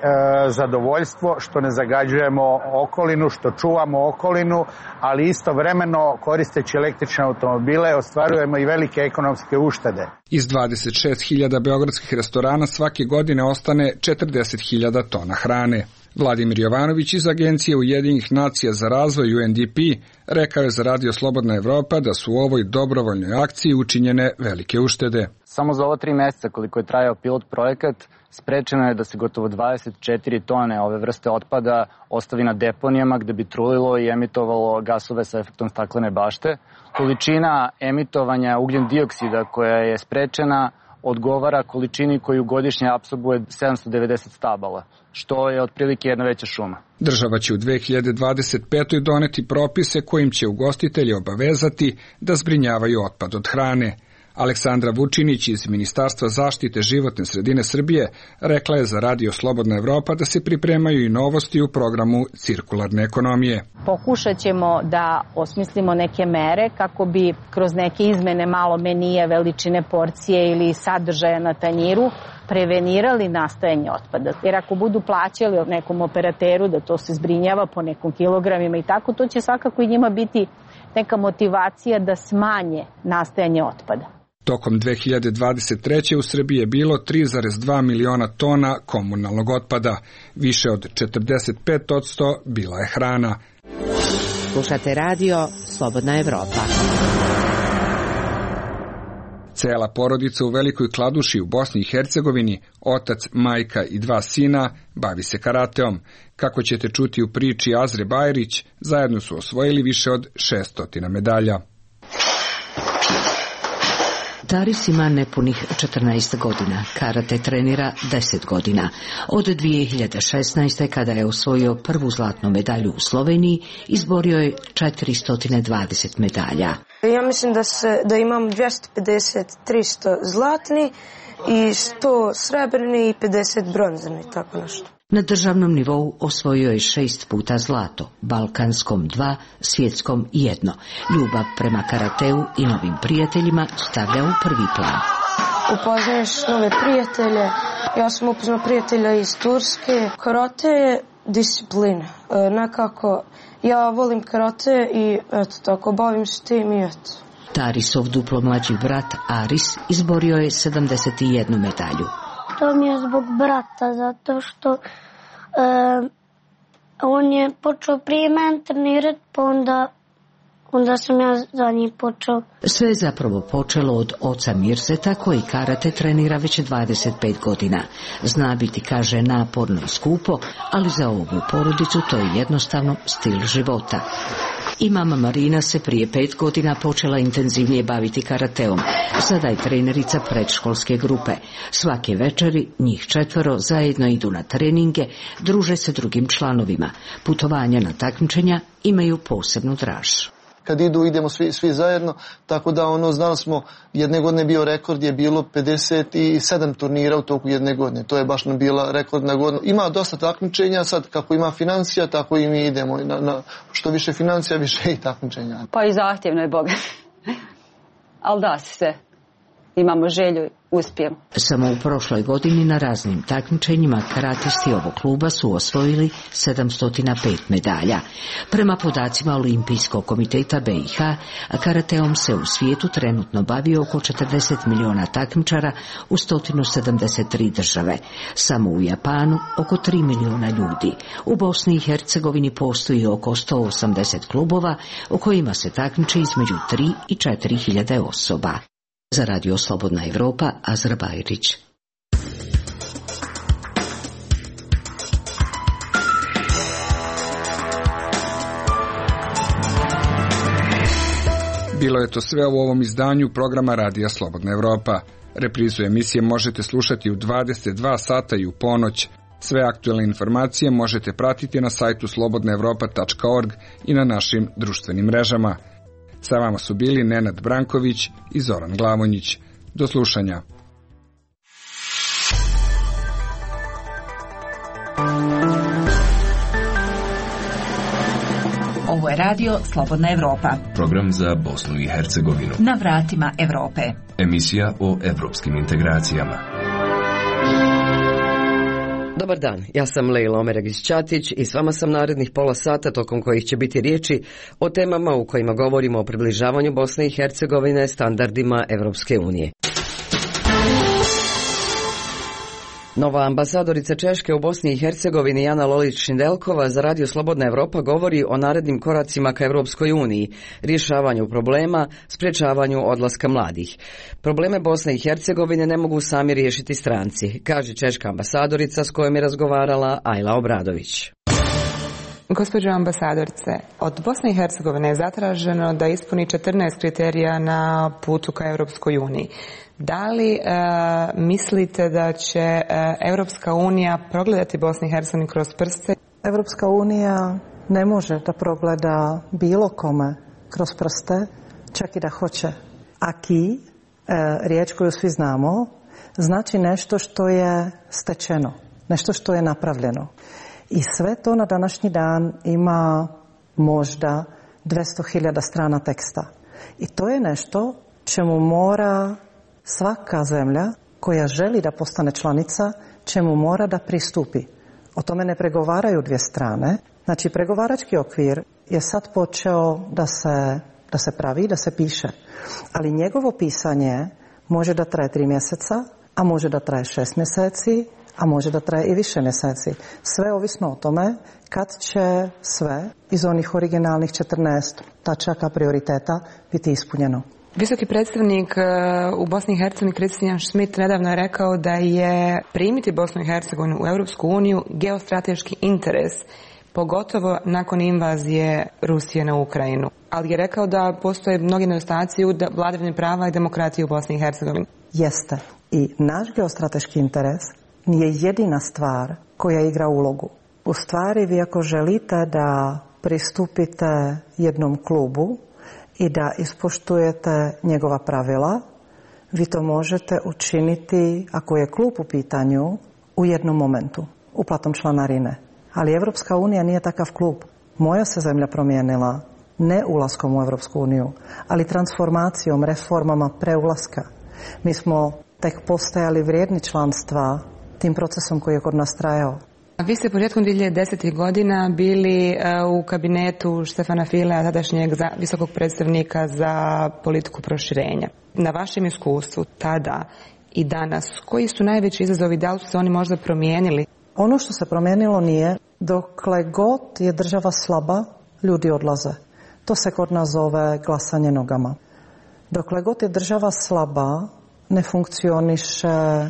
zadovoljstvo što ne zagađujemo okolinu, što čuvamo okolinu, ali istovremeno koristeći električne automobile ostvarujemo i velike ekonomske uštede. Iz dvadeset šest hiljada beogradskih restorana svake godine ostane četrdeset hiljada tona hrane. Vladimir Jovanović iz Agencije Ujedinjenih nacija za razvoj U N D P rekao je za Radio Slobodna Evropa da su u ovoj dobrovoljnoj akciji učinjene velike uštede. Samo za ova tri meseca koliko je trajao pilot projekat, sprečeno je da se gotovo dvadeset četiri tone ove vrste otpada ostavi na deponijama gde bi trulilo i emitovalo gasove sa efektom staklene bašte. Količina emitovanja ugljen dioksida koja je sprečena odgovara količini koju godišnje apsorbuje sedamsto devedeset stabala, što je otprilike jedna veća šuma. Država će u dve hiljade dvadeset petoj doneti propise kojim će ugostitelji obavezati da zbrinjavaju otpad od hrane. Aleksandra Vučinić iz Ministarstva zaštite životne sredine Srbije rekla je za Radio Slobodna Evropa da se pripremaju i novosti u programu cirkularne ekonomije. Pokušat ćemo da osmislimo neke mere kako bi kroz neke izmene malo menije, veličine porcije ili sadržaja na tanjiru prevenirali nastajanje otpada. Jer ako budu plaćali nekom operateru da to se zbrinjava po nekom kilogramima i tako, to će svakako i njima biti neka motivacija da smanje nastajanje otpada. Tokom dve hiljade dvadeset treće. u Srbiji je bilo tri zarez dva miliona tona komunalnog otpada. Više od četrdeset pet posto bila je hrana. Slušate radio Slobodna Evropa. Cela porodica u Velikoj Kladuši u Bosni i Hercegovini, otac, majka i dva sina, bavi se karateom. Kako ćete čuti u priči Azre Bajrić, zajedno su osvojili više od šeststo medalja. Taris ima nepunih četrnaest godina, karate trenira deset godina. Od dvije hiljade šesnaeste. kada je osvojio prvu zlatnu medalju u Sloveniji, izborio je četiristo dvadeset medalja. Ja mislim da, se, da imam dvjesto pedeset tristo zlatni i sto srebrni i pedeset bronzani, tako nešto. Na državnom nivou osvojio je šest puta zlato, balkanskom dva, svjetskom jedno. Ljubav prema karateu i novim prijateljima stavlja u prvi plan. Upoznaješ nove prijatelje, ja sam upoznao prijatelja iz Turske. Karate je disciplina, e, nekako ja volim karate i eto tako bavim se tim i eto. Tarisov duplo mlađi brat Aris izborio je sedamdeset jednu medalju. To mi je zbog brata, zato što e, on je počeo prije mene trenirati, pa onda, onda sam ja za njih počeo. Sve je zapravo počelo od oca Mirseta, koji karate trenira već dvadeset pet godina. Zna biti, kaže, naporno i skupo, ali za ovu porodicu to je jednostavno stil života. I mama Marina se prije pet godina počela intenzivnije baviti karateom. Sada je trenerica predškolske grupe. Svake večeri njih četvero zajedno idu na treninge, druže se drugim članovima. Putovanja na takmičenja imaju posebnu draž. Kad idu, idemo svi, svi zajedno, tako da ono, znali smo, jedne godine bio rekord, je bilo pedeset sedam turnira u toku jedne godine. To je baš nam bila rekordna godina. Ima dosta takmičenja, sad kako ima financija, tako i mi idemo. Na, na, što više financija, više i takmičenja. Pa i zahtjevno je, Boga. Ali da se. imamo želju, uspijemo. Samo u prošloj godini na raznim takmičenjima karatisti ovog kluba su osvojili sedamsto pet medalja. Prema podacima Olimpijskog komiteta B i H, karateom se u svijetu trenutno bavi oko četrdeset miliona takmičara u sto sedamdeset tri države. Samo u Japanu oko tri miliona ljudi. U Bosni i Hercegovini postoji oko sto osamdeset klubova u kojima se takmiče između tri i četiri hiljade osoba. Za Radio Slobodna Evropa, Azra Bajrić. Bilo je to sve u ovom izdanju programa Radija Slobodna Evropa. Reprizu emisije možete slušati u dvadeset dva sata i u ponoć. Sve aktuelne informacije možete pratiti na sajtu slobodna evropa tačka org i na našim društvenim mrežama. Sa vama su bili Nenad Branković i Zoran Glavonjić. Do slušanja. Ovo je radio Slobodna Evropa. Program za Bosnu i Hercegovinu. Na vratima Evrope. Emisija o evropskim integracijama. Dobar dan, ja sam Lejla Omeragić-Ćatić i s vama sam narednih pola sata tokom kojih će biti riječi o temama u kojima govorimo o približavanju Bosne i Hercegovine standardima Evropske unije. Nova ambasadorica Češke u Bosni i Hercegovini Jana Lolić-Šindelkova za Radio Slobodna Evropa govori o narednim koracima ka Evropskoj uniji, rješavanju problema, sprečavanju odlaska mladih. Probleme Bosne i Hercegovine ne mogu sami riješiti stranci, kaže češka ambasadorica s kojom je razgovarala Ajla Obradović. Gospođo ambasadorice, od Bosne i Hercegovine je zatraženo da ispuni četrnaest kriterija na putu ka Europskoj uniji. Da li e, mislite da će e, Europska unija progledati Bosnu i Hercegovinu kroz prste? Europska unija ne može da progleda bilo kome kroz prste, čak i da hoće. Aki, e, riječ koju svi znamo, znači nešto što je stečeno, nešto što je napravljeno. I sve to na današnji dan ima možda dvjesto hiljada strana teksta. I to je nešto čemu mora svaka zemlja koja želi da postane članica, čemu mora da pristupi. O tome ne pregovaraju dvije strane. Znači, pregovarački okvir je sad počeo da se, da se pravi, da se piše. Ali njegovo pisanje može da traje tri mjeseca, a može da traje šest mjeseci, a može da traje i više mjeseci. Sve ovisno o tome kad će sve iz onih originalnih četrnaest tačaka prioriteta biti ispunjeno. Visoki predstavnik u Bosni i Hercegovini Kristijan Schmidt nedavno je rekao da je primiti Bosnu i Hercegovinu u Europsku uniju geostrateški interes, pogotovo nakon invazije Rusije na Ukrajinu. Ali je rekao da postoje mnogi nedostaci u vladavini prava i demokratiji u Bosni i Hercegovini. Jeste. I naš geostrateški interes nije jedina stvar koja igra ulogu. U stvari, vi ako želite da pristupite jednom klubu i da ispoštujete njegova pravila, vi to možete učiniti, ako je klub u pitanju, u jednom momentu, uplatom članarine. Ali Evropska unija nije takav klub. Moja se zemlja promijenila ne ulaskom u Evropsku uniju, ali transformacijom, reformama preulaska. Mi smo tek postajali vrijedni članstva tim procesom koji je kod nas trajao. Vi ste početkom dvije hiljade desetih godina bili u kabinetu Štefana Filea, tadašnjeg visokog predstavnika za politiku proširenja. Na vašem iskustvu tada i danas, koji su najveći izazovi, da li su se oni možda promijenili? Ono što se promijenilo nije, dokle god je država slaba, ljudi odlaze. To se kod nas zove glasanje nogama. Dokle god je država slaba, ne funkcioniše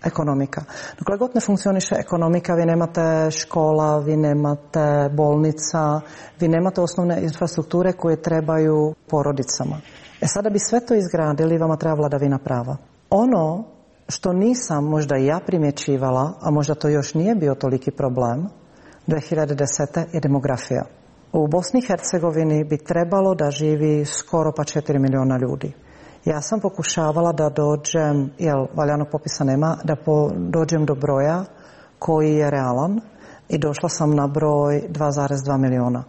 ekonomika. Dokle god ne funkcioniše ekonomika, vi nemate škola, vi nemate bolnica, vi nemate osnovne infrastrukture koje trebaju porodicama. E sada bi sve to izgradili, vama treba vladavina prava. Ono što nisam možda i ja primjećivala, a možda to još nije bio toliki problem, dvije hiljade desete je demografija. U Bosni i Hercegovini bi trebalo da živi skoro pa četiri miliona ljudi. Ja sam pokušavala da dođem, jer valjanog popisa nema, da po, dođem do broja koji je realan i došla sam na broj dva zarez dva miliona.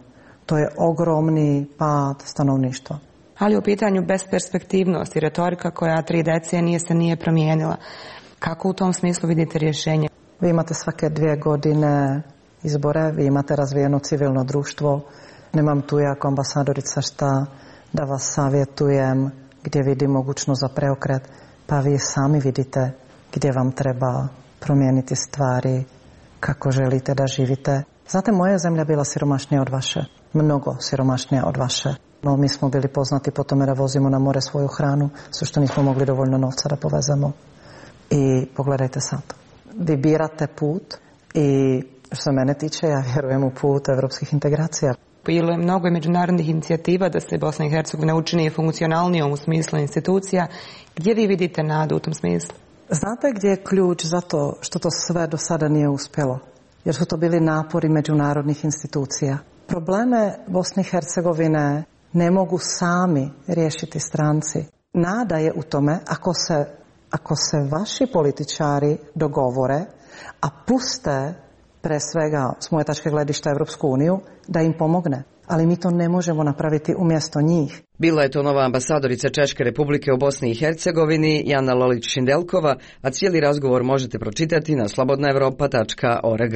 To je ogromni pad stanovništva. ali u pitanju besperspektivnost i retorika koja tri decenije se nije promijenila. Kako u tom smislu vidite rješenje? Vi imate svake dvije godine izbore, vi imate razvijeno civilno društvo. Nemam tu ja kao ambasadorica šta da vas savjetujem gdje vidim mogućnost za preokret, pa vi sami vidite gdje vam treba promijeniti stvari, kako želite da živite. Znate, moja zemlja bila siromašnija od vaše, mnogo siromašnija od vaše. No, mi smo bili poznati po tome da vozimo na more svoju hranu, sve što nismo mogli dovoljno novca da povezemo. I pogledajte sad, vi birate put i što se mene tiče, ja vjerujem u put evropskih integracija. Bilo je mnogo međunarodnih inicijativa da se Bosna i Hercegovina učini funkcionalnijom u smislu institucija. Gdje vi vidite nadu u tom smislu? Znate gdje je ključ za to što to sve do sada nije uspjelo? Jer su to bili napori međunarodnih institucija. Probleme Bosne i Hercegovine ne mogu sami riješiti stranci. Nada je u tome ako se, ako se vaši političari dogovore, a puste pre svega s moje tačke gledišta Evropsku uniju, da im pomogne. Ali mi to ne možemo napraviti umjesto njih. Bila je to nova ambasadorica Češke Republike u Bosni i Hercegovini, Jana Lolić-Šindelkova, a cijeli razgovor možete pročitati na slobodna evropa tačka org.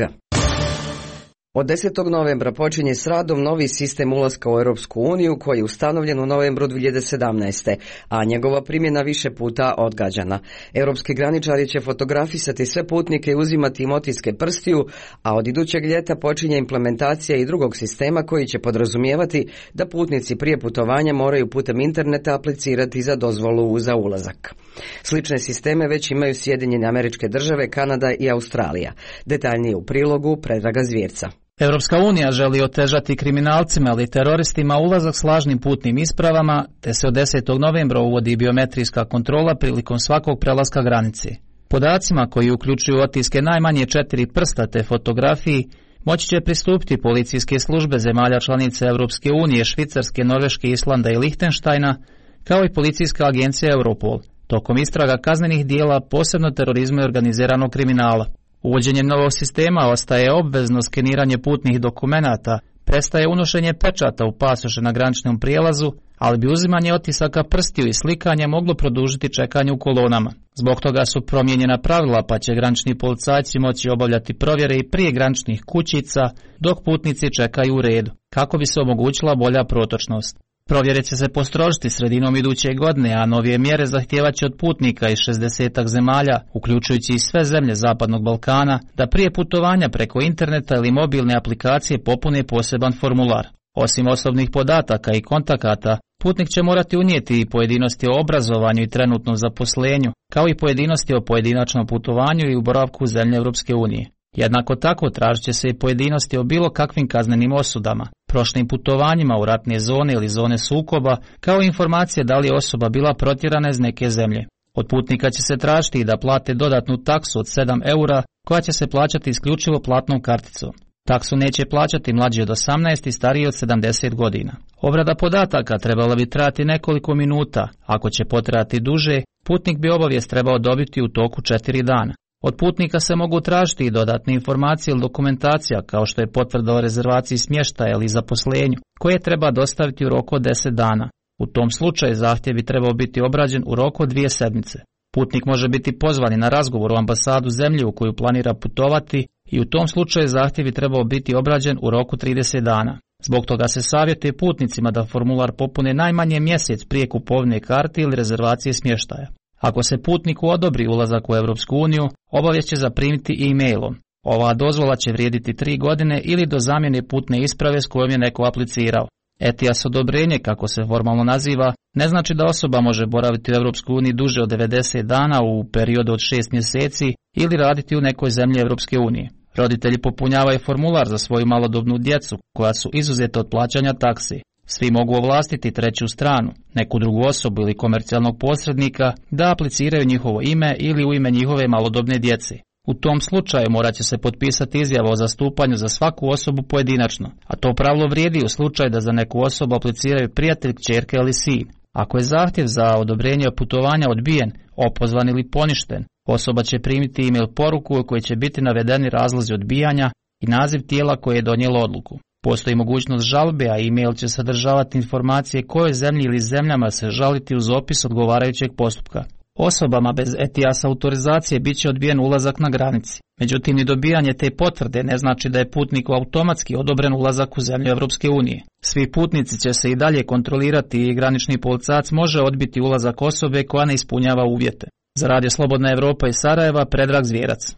Od desetog novembra počinje s radom novi sistem ulaska u Europsku uniju koji je ustanovljen u novembru dvije hiljade sedamnaeste. a njegova primjena više puta odgađana. Europski graničari će fotografisati sve putnike i uzimati im otiske prstiju, a od idućeg ljeta počinje implementacija i drugog sistema koji će podrazumijevati da putnici prije putovanja moraju putem interneta aplicirati za dozvolu za ulazak. Slične sisteme već imaju Sjedinjene Američke Države, Kanada i Australija. Detaljnije u prilogu Predraga Zvjerca. Europska unija želi otežati kriminalcima ili teroristima ulazak s lažnim putnim ispravama, te se od desetog novembra uvodi biometrijska kontrola prilikom svakog prelaska granice. Podacima koji uključuju otiske najmanje četiri prsta te fotografiji moći će pristupiti policijske službe zemalja članica Europske unije, Švicarske, Norveške, Islanda i Lihtenštajna, kao i policijska agencija Europol, tokom istraga kaznenih dijela, posebno terorizma i organiziranog kriminala. Uvođenjem novog sistema ostaje obvezno skeniranje putnih dokumenata, prestaje unošenje pečata u pasoše na graničnom prijelazu, ali bi uzimanje otisaka prstiju i slikanja moglo produžiti čekanje u kolonama. Zbog toga su promijenjena pravila, pa će granični policajci moći obavljati provjere i prije graničnih kućica, dok putnici čekaju u redu, kako bi se omogućila bolja protočnost. Provjere će se postrožiti sredinom iduće godine, a novije mjere zahtijevaće od putnika iz šezdesetak zemalja, uključujući i sve zemlje Zapadnog Balkana, da prije putovanja preko interneta ili mobilne aplikacije popune poseban formular. Osim osobnih podataka i kontakata, putnik će morati unijeti i pojedinosti o obrazovanju i trenutnom zaposlenju, kao i pojedinosti o pojedinačnom putovanju i u boravku u zemlje Europske unije. Jednako tako tražit će se i pojedinosti o bilo kakvim kaznenim osudama, prošlim putovanjima u ratne zone ili zone sukoba, kao i informacije da li je osoba bila protjerana iz neke zemlje. Od putnika će se tražiti i da plate dodatnu taksu od sedam eura, koja će se plaćati isključivo platnom karticom. Taksu neće plaćati mlađi od osamnaest i stariji od sedamdeset godina. Obrada podataka trebala bi trajati nekoliko minuta, ako će potrajati duže, putnik bi obavijest trebao dobiti u toku četiri dana. Od putnika se mogu tražiti i dodatne informacije ili dokumentacija, kao što je potvrda o rezervaciji smještaja ili zaposlenju, koje treba dostaviti u roku od deset dana. U tom slučaju zahtjev bi trebao biti obrađen u roku od dvije sedmice. Putnik može biti pozvan na razgovor u ambasadu zemlje u koju planira putovati i u tom slučaju zahtjev bi trebao biti obrađen u roku trideset dana. Zbog toga se savjetuje putnicima da formular popune najmanje mjesec prije kupovine karte ili rezervacije smještaja. Ako se putniku odobri ulazak u Europsku uniju, obavijest će zaprimiti e-mailom. Ova dozvola će vrijediti tri godine ili do zamjene putne isprave s kojom je neko aplicirao. E T I A S odobrenje, kako se formalno naziva, ne znači da osoba može boraviti u Europskoj uniji duže od devedeset dana u periodu od šest mjeseci ili raditi u nekoj zemlji Europske unije. Roditelji popunjavaju formular za svoju malodobnu djecu, koja su izuzeta od plaćanja taksi. Svi mogu ovlastiti treću stranu, neku drugu osobu ili komercijalnog posrednika da apliciraju njihovo ime ili u ime njihove malodobne djece. U tom slučaju morat će se potpisati izjava o zastupanju za svaku osobu pojedinačno, a to pravilo vrijedi u slučaju da za neku osobu apliciraju prijatelj, kćerka ili sin. Ako je zahtjev za odobrenje putovanja odbijen, opozvan ili poništen, osoba će primiti e-mail poruku u kojoj će biti navedeni razlozi odbijanja i naziv tijela koje je donijelo odluku. Postoji mogućnost žalbe, a e-mail će sadržavati informacije kojoj zemlji ili zemljama se žaliti uz opis odgovarajućeg postupka. Osobama bez E T I A S autorizacije bit će odbijen ulazak na granici. Međutim, ni dobijanje te potvrde ne znači da je putniku automatski odobren ulazak u zemlju Evropske unije. Svi putnici će se i dalje kontrolirati i granični policajac može odbiti ulazak osobe koja ne ispunjava uvjete. Za Radio Slobodna Evropa iz Sarajeva, Predrag Zvijerac.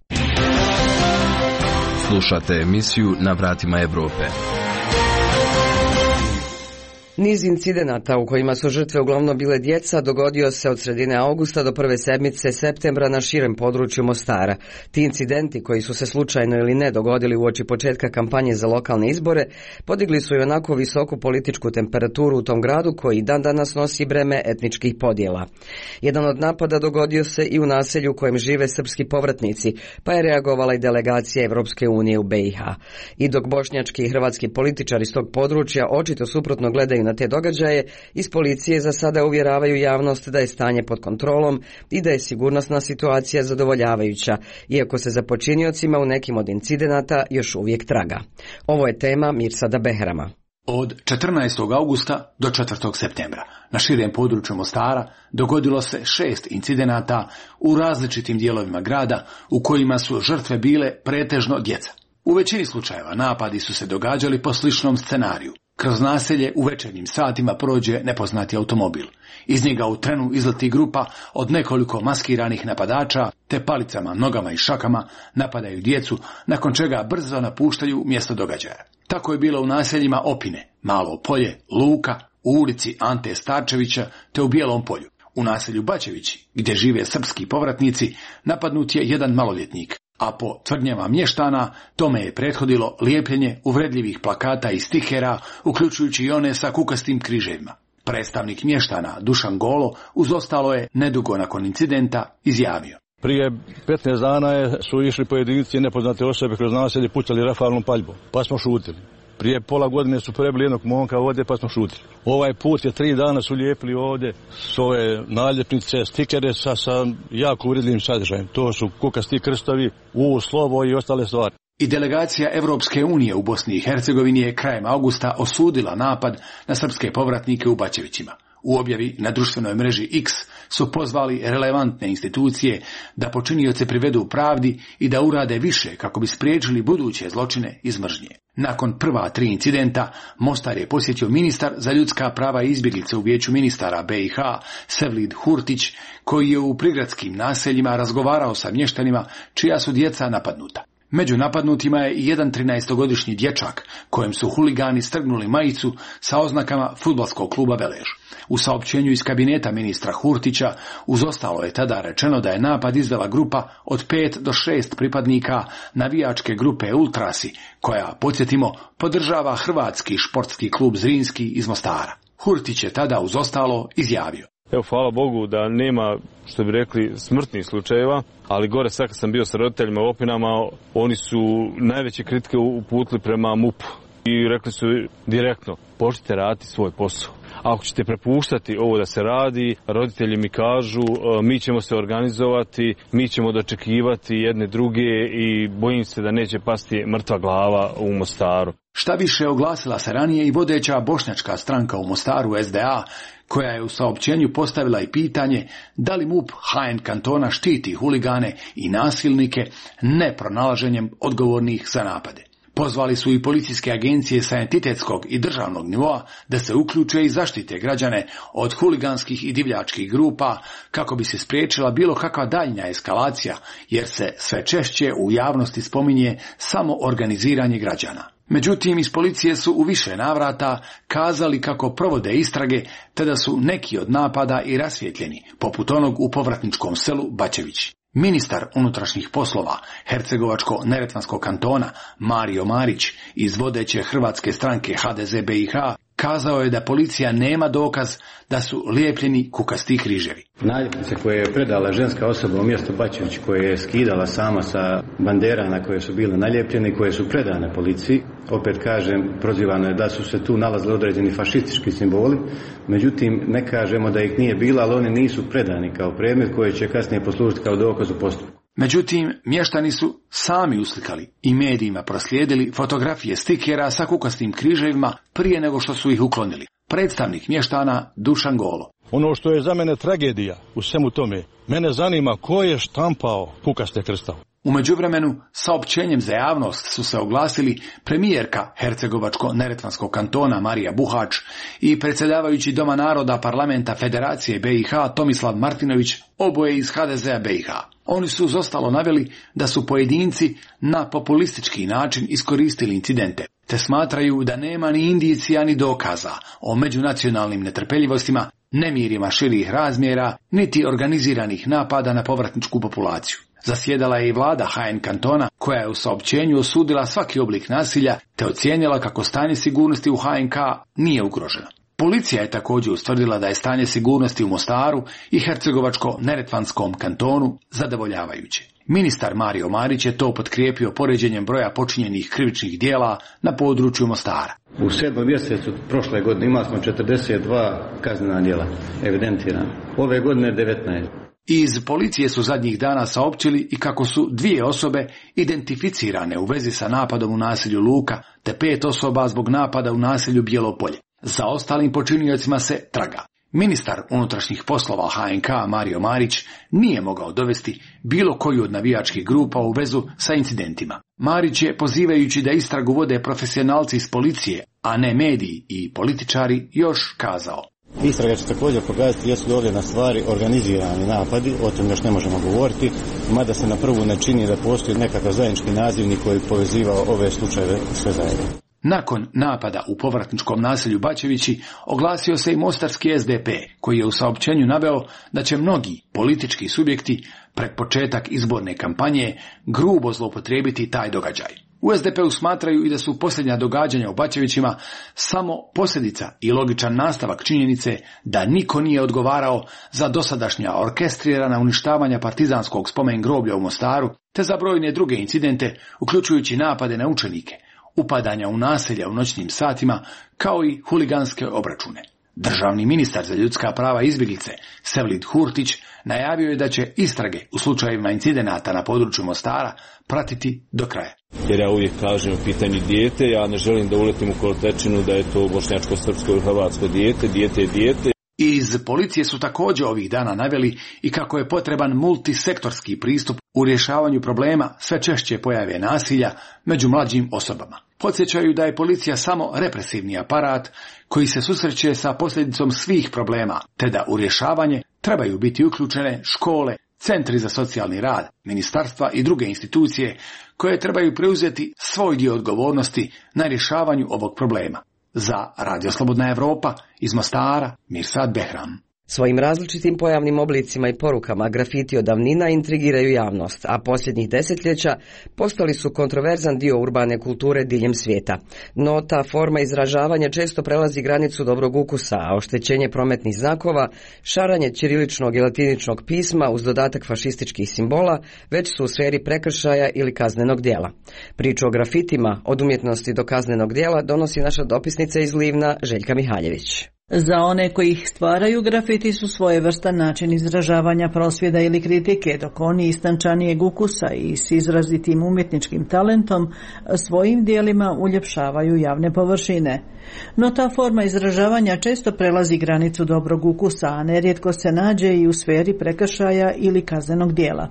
Slušate emisiju Na vratima Evrope. Niz incidenata u kojima su žrtve uglavnom bile djeca dogodio se od sredine augusta do prve sedmice septembra na širem području Mostara. Ti incidenti, koji su se slučajno ili ne dogodili uoči početka kampanje za lokalne izbore, podigli su i onako visoku političku temperaturu u tom gradu koji dan danas nosi breme etničkih podjela. Jedan od napada dogodio se i u naselju u kojem žive srpski povratnici, pa je reagovala i delegacija Evropske unije u B i H. I dok bošnjački i hrvatski političari iz tog područja očito suprotno gledaju na te događaje, iz policije za sada uvjeravaju javnost da je stanje pod kontrolom i da je sigurnosna situacija zadovoljavajuća, iako se za počiniocima u nekim od incidenata još uvijek traga. Ovo je tema Mirsada Behrama. Od četrnaestog augusta do četvrtog septembra na širem području Mostara dogodilo se šest incidenata u različitim dijelovima grada u kojima su žrtve bile pretežno djeca. U većini slučajeva napadi su se događali po sličnom scenariju. Kroz naselje u večernjim satima prođe nepoznati automobil. Iz njega u trenu izleti grupa od nekoliko maskiranih napadača, te palicama, nogama i šakama napadaju djecu, nakon čega brzo napuštaju mjesto događaja. Tako je bilo u naseljima Opine, Malo Polje, Luka, u ulici Ante Starčevića te u Bijelom Polju. U naselju Bačevići, gdje žive srpski povratnici, napadnut je jedan maloljetnik, a po tvrdnjama mještana tome je prethodilo lijepljenje uvredljivih plakata i stikera, uključujući i one sa kukastim križevima. Predstavnik mještana Dušan Golo uz ostalo je nedugo nakon incidenta izjavio: Prije petnaest dana je, su išli pojedinci nepoznate osobe kroz naselje, pucali rafalnom paljbom, pa smo šutili. Prije pola godine su prebili jednog momka ovdje, pa smo šutili. Ovaj put je tri dana su lijepili ovdje svoje naljepnice, stikere sa, sa jako uvredljivim sadržajem. To su kukasti krstovi, U, slovo i ostale stvari. I delegacija Evropske unije u Bosni i Hercegovini je krajem augusta osudila napad na srpske povratnike u Bačevićima. U objavi na društvenoj mreži X su pozvali relevantne institucije da počinioce privedu pravdi i da urade više kako bi spriječili buduće zločine iz mržnje. Nakon prva tri incidenta, Mostar je posjetio ministar za ljudska prava i izbjeglice u vijeću ministara B i H, Sevlid Hurtić, koji je u prigradskim naseljima razgovarao sa mještanima čija su djeca napadnuta. Među napadnutima je i jedan trinaestogodišnji dječak, kojem su huligani strgnuli majicu sa oznakama fudbalskog kluba Velež. U saopćenju iz kabineta ministra Hurtića uz ostalo je tada rečeno da je napad izvela grupa od pet do šest pripadnika navijačke grupe Ultrasi, koja, podsjetimo, podržava hrvatski športski klub Zrinski iz Mostara. Hurtić je tada uz ostalo izjavio: Evo, hvala Bogu da nema, što bi rekli, smrtnih slučajeva, ali gore sad kad sam bio sa roditeljima u Opinama, oni su najveće kritike uputili prema M U P-u i rekli su direktno: počnite raditi svoj posao. Ako ćete prepuštati ovo da se radi, roditelji mi kažu mi ćemo se organizovati, mi ćemo dočekivati jedne druge i bojim se da neće pasti mrtva glava u Mostaru. Šta više, oglasila se ranije i vodeća bošnjačka stranka u Mostaru S D A, koja je u saopćenju postavila i pitanje da li M U P H N kantona štiti huligane i nasilnike ne pronalaženjem odgovornih za napade. Pozvali su i policijske agencije sa entitetskog i državnog nivoa da se uključe i zaštite građane od huliganskih i divljačkih grupa kako bi se spriječila bilo kakva daljnja eskalacija, jer se sve češće u javnosti spominje samo organiziranje građana. Međutim, iz policije su u više navrata kazali kako provode istrage, te da su neki od napada i rasvjetljeni, poput onog u povratničkom selu Bačević. Ministar unutrašnjih poslova Hercegovačko-neretvanskog kantona Mario Marić iz vodeće hrvatske stranke H D Z B i H kazao je da policija nema dokaz da su lijepljeni kukasti križevi. Naljepnice koje je predala ženska osoba u mjestu Bačević, koje je skidala sama sa bandera na koje su bile naljepljene, koje su predane policiji, opet kažem, prozivano je da su se tu nalazili određeni fašistički simboli, međutim ne kažemo da ih nije bilo, ali oni nisu predani kao predmet koji će kasnije poslužiti kao dokaz u postupku. Međutim, mještani su sami uslikali i medijima proslijedili fotografije stikera sa kukastim križevima prije nego što su ih uklonili. Predstavnik mještana Dušan Golo. Ono što je za mene tragedija u svemu tome, mene zanima ko je štampao kukaste krstave. U međuvremenu, saopćenjem za javnost su se oglasili premijerka Hercegovačko-neretvanskog kantona Marija Buhač i predsjedavajući Doma naroda Parlamenta Federacije B i H Tomislav Martinović, oboje iz H D Z-a B i H. Oni su uz ostalo naveli da su pojedinci na populistički način iskoristili incidente, te smatraju da nema ni indicija ni dokaza o međunacionalnim netrpeljivostima, nemirima širih razmjera, niti organiziranih napada na povratničku populaciju. Zasjedala je i vlada H N kantona, koja je u saopćenju osudila svaki oblik nasilja te ocijenila kako stanje sigurnosti u H N K nije ugroženo. Policija je također ustvrdila da je stanje sigurnosti u Mostaru i Hercegovačko-neretvanskom kantonu zadovoljavajuće. Ministar Mario Marić je to potkrijepio poređenjem broja počinjenih krivičnih dijela na području Mostara. U sedmom mjesecu prošle godine imali smo četrdeset dva kaznena djela evidentirana. Ove godine devetnaest. Iz policije su zadnjih dana saopćili i kako su dvije osobe identificirane u vezi sa napadom u naselju Luka, te pet osoba zbog napada u naselju Bjelopolje. Za ostalim počiniocima se traga. Ministar unutrašnjih poslova H N K Mario Marić nije mogao dovesti bilo koju od navijačkih grupa u vezu sa incidentima. Marić je, pozivajući da istragu vode profesionalci iz policije, a ne mediji i političari, još kazao: Istraga će također pokazati jesu li ovdje na stvari organizirani napadi, o tom još ne možemo govoriti, mada se na prvu ne čini da postoji nekakav zajednički nazivnik koji povezivao ove slučajeve sve zajedno. Nakon napada u povratničkom naselju Bačevići oglasio se i mostarski S D P, koji je u saopćenju naveo da će mnogi politički subjekti pred početak izborne kampanje grubo zloupotrijebiti taj događaj. U S D P-u smatraju i da su posljednja događanja u Bačevićima samo posljedica i logičan nastavak činjenice da niko nije odgovarao za dosadašnja orkestrirana uništavanja partizanskog spomen groblja u Mostaru, te za brojne druge incidente, uključujući napade na učenike, upadanja u naselja u noćnim satima, kao i huliganske obračune. Državni ministar za ljudska prava i izbjeglice Sevlid Hurtić najavio je da će istrage u slučajevima incidenata na području Mostara pratiti do kraja. Jer ja uvijek kažem u pitanju dijete, ja ne želim da uletim u kolotečinu da je to bošnjačko, srpsko ili hrvatsko dijete, dijete je dijete. Iz policije su također ovih dana naveli i kako je potreban multisektorski pristup u rješavanju problema sve češće pojave nasilja među mlađim osobama. Podsjećaju da je policija samo represivni aparat koji se susreće sa posljedicom svih problema, te da u rješavanje trebaju biti uključene škole, centri za socijalni rad, ministarstva i druge institucije koje trebaju preuzeti svoj dio odgovornosti na rješavanju ovog problema. Za Radio Slobodna Evropa iz Mostara, Mirsad Behram. Svojim različitim pojavnim oblicima i porukama grafiti od davnina intrigiraju javnost, a posljednjih desetljeća postali su kontroverzan dio urbane kulture diljem svijeta. No ta forma izražavanja često prelazi granicu dobrog ukusa, a oštećenje prometnih znakova, šaranje ćiriličnog i latiničnog pisma uz dodatak fašističkih simbola već su u sferi prekršaja ili kaznenog djela. Priču o grafitima, od umjetnosti do kaznenog djela, donosi naša dopisnica iz Livna Željka Mihaljević. Za one koji ih stvaraju, grafiti su svojevrstan način izražavanja prosvjeda ili kritike, dok oni istančanijeg ukusa i s izrazitim umjetničkim talentom svojim dijelima uljepšavaju javne površine. No ta forma izražavanja često prelazi granicu dobrog ukusa, a nerijetko se nađe i u sferi prekršaja ili kaznenog djela.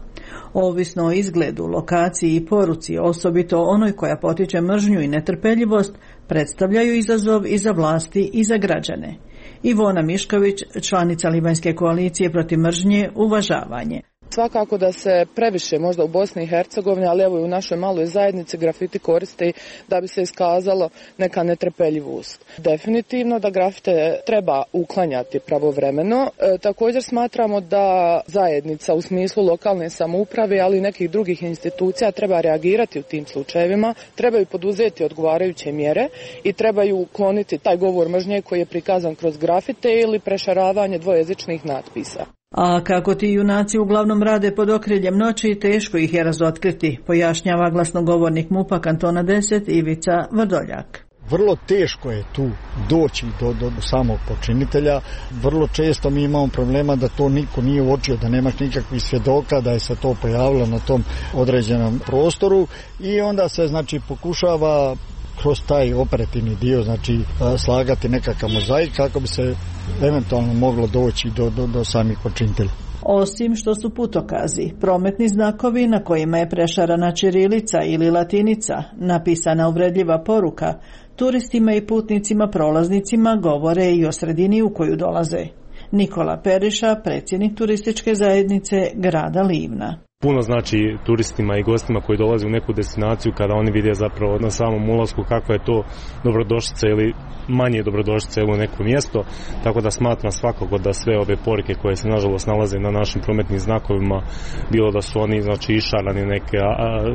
Ovisno o izgledu, lokaciji i poruci, osobito onoj koja potiče mržnju i netrpeljivost, predstavljaju izazov i za vlasti i za građane. Ivona Mišković, članica Livanjske koalicije protiv mržnje, uvažavanje. Svakako da se previše možda u Bosni i Hercegovini, ali evo i u našoj maloj zajednici grafiti koriste da bi se iskazalo neka netrpeljivost. Definitivno da grafite treba uklanjati pravovremeno. E, također smatramo da zajednica u smislu lokalne samouprave, ali i nekih drugih institucija treba reagirati u tim slučajevima, trebaju poduzeti odgovarajuće mjere i trebaju ukloniti taj govor mržnje koji je prikazan kroz grafite ili prešaravanje dvojezičnih natpisa. A kako ti junaci uglavnom rade pod okriljem noći, teško ih je razotkriti, pojašnjava glasnogovornik MUP-a kantona deset Ivica Vrdoljak. Vrlo teško je tu doći do, do samog počinitelja. Vrlo često mi imamo problema da to niko nije uočio, da nemaš nikakvih svjedoka, da je se to pojavilo na tom određenom prostoru i onda se znači pokušava kroz taj operativni dio znači slagati nekakav mozaik kako bi se eventualno moglo doći do, do, do samih počinitelja. Osim što su putokazi, prometni znakovi na kojima je prešarana ćirilica ili latinica, napisana uvredljiva poruka, turistima i putnicima prolaznicima govore i o sredini u koju dolaze. Nikola Periša, predsjednik turističke zajednice grada Livna. Puno znači turistima i gostima koji dolaze u neku destinaciju kada oni vide zapravo na samom ulasku kako je to dobrodošlica ili manje dobrodošlica u neko mjesto, tako da smatram svakako da sve ove poruke koje se nažalost nalaze na našim prometnim znakovima, bilo da su oni znači išarani neke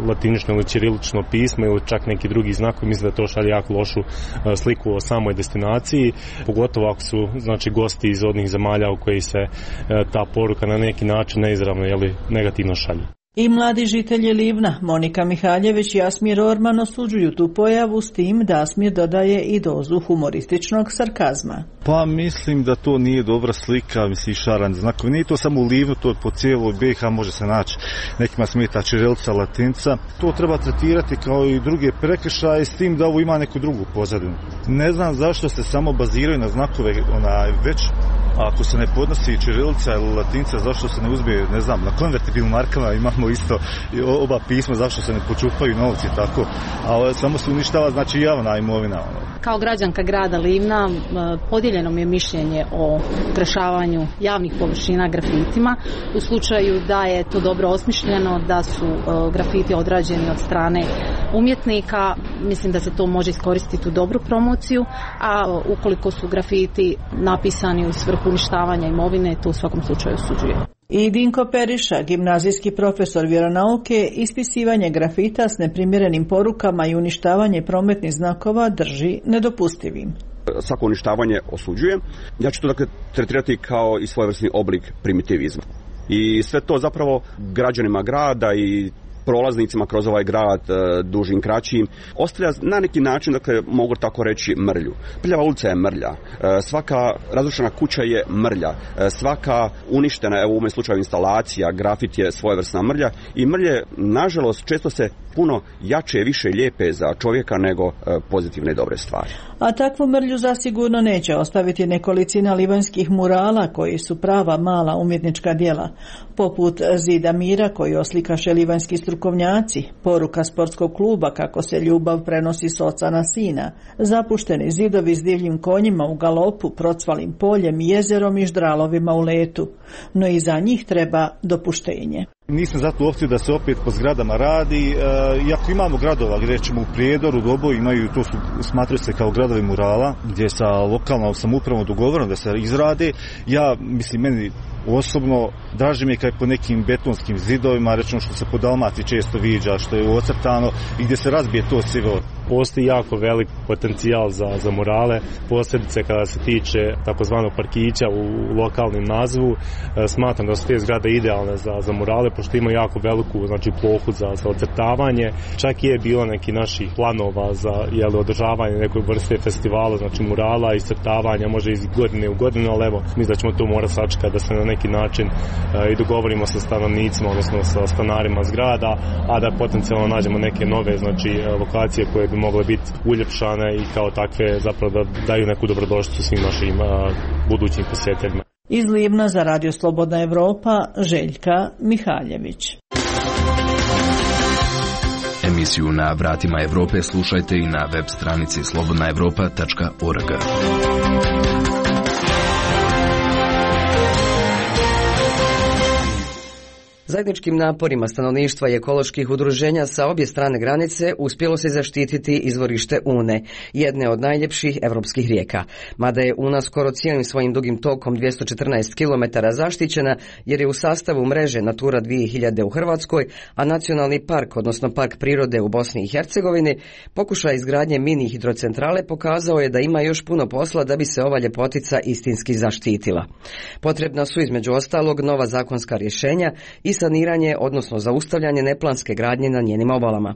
latinično ili ćirilično pismo ili čak neki drugi znakovi, mislim da to šalje jako lošu sliku o samoj destinaciji, pogotovo ako su znači gosti iz odnih zemalja u koji se ta poruka na neki način neizravno ili negativno šalje. I mladi žitelji Livna, Monika Mihaljević i Asmir Orman, osuđuju tu pojavu s tim da Asmir dodaje i dozu humorističnog sarkazma. Pa mislim da to nije dobra slika, mislim šaran znakovi. Nije to samo u Livnu, to po cijeloj B i H može se naći. Nekima smeta ćirilica, latinca. To treba tretirati kao i druge prekršaje s tim da ovo ima neku drugu pozadinu. Ne znam zašto se samo baziraju na znakove onaj već. Ako se ne podnosi ćirilica ili latinca, zašto se ne uzme, ne znam, na konvertibilnim markama imamo isto oba pisma, zašto se ne počupaju novci tako, a samo se uništava znači javna imovina. Kao građanka grada Livna podijeljeno mi je mišljenje o krešavanju javnih površina grafitima. U slučaju da je to dobro osmišljeno, da su grafiti odrađeni od strane umjetnika, mislim da se to može iskoristiti u dobru promociju, a ukoliko su grafiti napisani u svrhu uništavanja imovine, to u svakom slučaju osuđuje. I Dinko Periša, gimnazijski profesor vjeronauke, ispisivanje grafita s neprimjerenim porukama i uništavanje prometnih znakova drži nedopustivim. Svako uništavanje osuđuje. Ja ću to dakle tretirati kao i svojevrsni oblik primitivizma. I sve to zapravo građanima grada i prolaznicima kroz ovaj grad, dužim, kraćim, ostavlja na neki način, dakle, mogu tako reći, mrlju. Prljava ulica je mrlja, svaka razrušena kuća je mrlja, svaka uništena, evo u ovom slučaju instalacija, grafit je svojevrsna mrlja i mrlje, nažalost, često se puno jače, više lijepe za čovjeka nego pozitivne i dobre stvari. A takvu mrlju zasigurno neće ostaviti nekolicina livanjskih murala koji su prava mala umjetnička djela, poput Zida mira koji oslikaše livanjski strukovnjaci, poruka sportskog kluba kako se ljubav prenosi s oca na sina, zapušteni zidovi s divljim konjima u galopu, procvalim poljem, jezerom i ždralovima u letu, no i za njih treba dopuštenje. Nisam zato u opciju da se opet po zgradama radi, iako imamo gradova gdje ćemo u Prijedoru, Dobo imaju, to su, smatraju se kao gradovi murala, gdje sa lokalnom samoupravom dogovoreno da se izrade. Ja, mislim, meni osobno draži mi je kad je po nekim betonskim zidovima, rečeno što se po Dalmaciji često viđa, što je ocrtano i gdje se razbije to sivo. Postoji jako velik potencijal za, za murale, posebice kada se tiče takozvanog parkića u lokalnim nazivu. E, smatram da su te zgrade idealne za, za murale, pošto ima jako veliku znači, plohu za, za ocrtavanje. Čak je bilo neki naših planova za jeli, održavanje nekoj vrste festivala, znači murala i crtavanja, može iz godine u godinu, ali evo, mislim da ćemo to morati sačekati da se na neki način e, i dogovorimo sa stanovnicima, odnosno sa stanarima zgrada, a da potencijalno nađemo neke nove znači, lokacije koje bi mogle biti uljepšane i kao takve zapravo da daju neku dobrodošlicu svim našim a, budućim posjetiteljima. Iz Livna za Radio Slobodna Evropa, Željka Mihaljević. Emisiju Na vratima Evrope slušajte i na web stranici slobodna evropa tačka org. Zajedničkim naporima stanovništva i ekoloških udruženja sa obje strane granice uspjelo se zaštititi izvorište Une, jedne od najljepših evropskih rijeka. Mada je Una skoro cijelim svojim dugim tokom dvjesto četrnaest kilometara zaštićena jer je u sastavu mreže Natura dvije hiljade u Hrvatskoj, a Nacionalni park, odnosno Park prirode u Bosni i Hercegovini, pokušaj izgradnje mini hidrocentrale pokazao je da ima još puno posla da bi se ova ljepotica istinski zaštitila. Potrebna su između ostalog nova zakonska rješenja i saniranje, odnosno zaustavljanje neplanske gradnje na njenim obalama.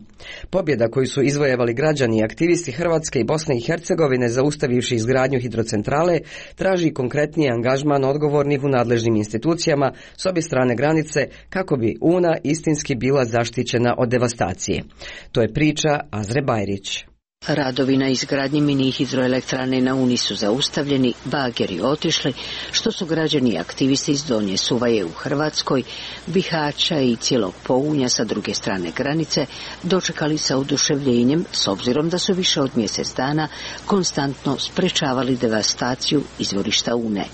Pobjeda koju su izvojevali građani i aktivisti Hrvatske i Bosne i Hercegovine zaustavivši izgradnju hidrocentrale traži konkretniji angažman odgovornih u nadležnim institucijama s obje strane granice kako bi Una istinski bila zaštićena od devastacije. To je priča Azre Bajrić. Radovi na izgradnji mini hidroelektrane na Uni su zaustavljeni, bageri otišli, što su građani i aktivisti iz Donje Suvaje u Hrvatskoj, Bihaća i cijelog Pounja sa druge strane granice dočekali sa oduševljenjem, s obzirom da su više od mjesec dana konstantno sprečavali devastaciju izvorišta Une.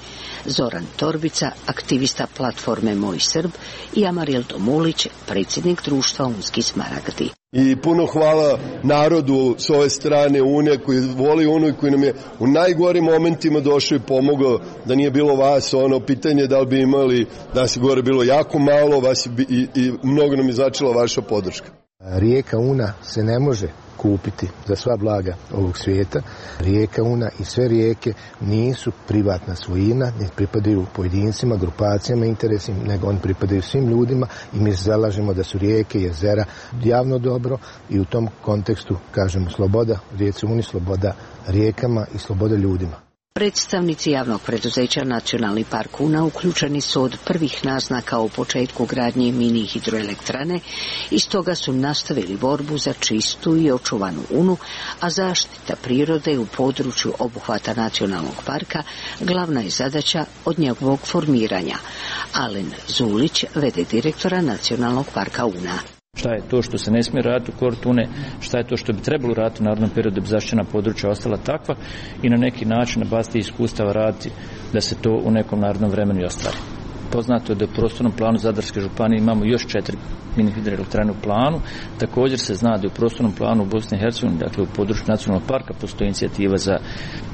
Zoran Torbica, aktivista platforme Moj Srb, i Amaril Tomulić, predsjednik društva Unski Smaragdi. I puno hvala narodu s ove strane Une koji voli Unu i koji nam je u najgorim momentima došao i pomogao. Da nije bilo vas, ono pitanje da li bi imali, da nas je gore bilo jako malo, vas bi, i, i mnogo nam je značila vaša podrška. Rijeka Una se ne može kupiti za sva blaga ovog svijeta. Rijeka Una i sve rijeke nisu privatna svojina, ne pripadaju pojedincima, grupacijama, interesima, nego oni pripadaju svim ljudima i mi se zalažemo da su rijeke i jezera javno dobro i u tom kontekstu kažemo sloboda rijeci Uni, sloboda rijekama i sloboda ljudima. Predstavnici javnog preduzeća Nacionalni park Una uključeni su od prvih naznaka o početku gradnje mini hidroelektrane i stoga su nastavili borbu za čistu i očuvanu Unu, a zaštita prirode u području obuhvata Nacionalnog parka glavna je zadaća od njegovog formiranja. Alen Zulić, v d direktora Nacionalnog parka Una. Šta je to što se ne smije raditi u kortu Une, šta je to što bi trebalo raditi u narednom periodu da bi zaštićena područja ostala takva i na neki način na bazi iskustava raditi da se to u nekom narednom vremenu i ostvari. Poznato je da u prostornom planu Zadarske županije imamo još četiri mini hidroelektrane u planu. Također se zna da u prostornom planu u Bosni i Hercegovini, dakle u području nacionalnog parka, postoji inicijativa za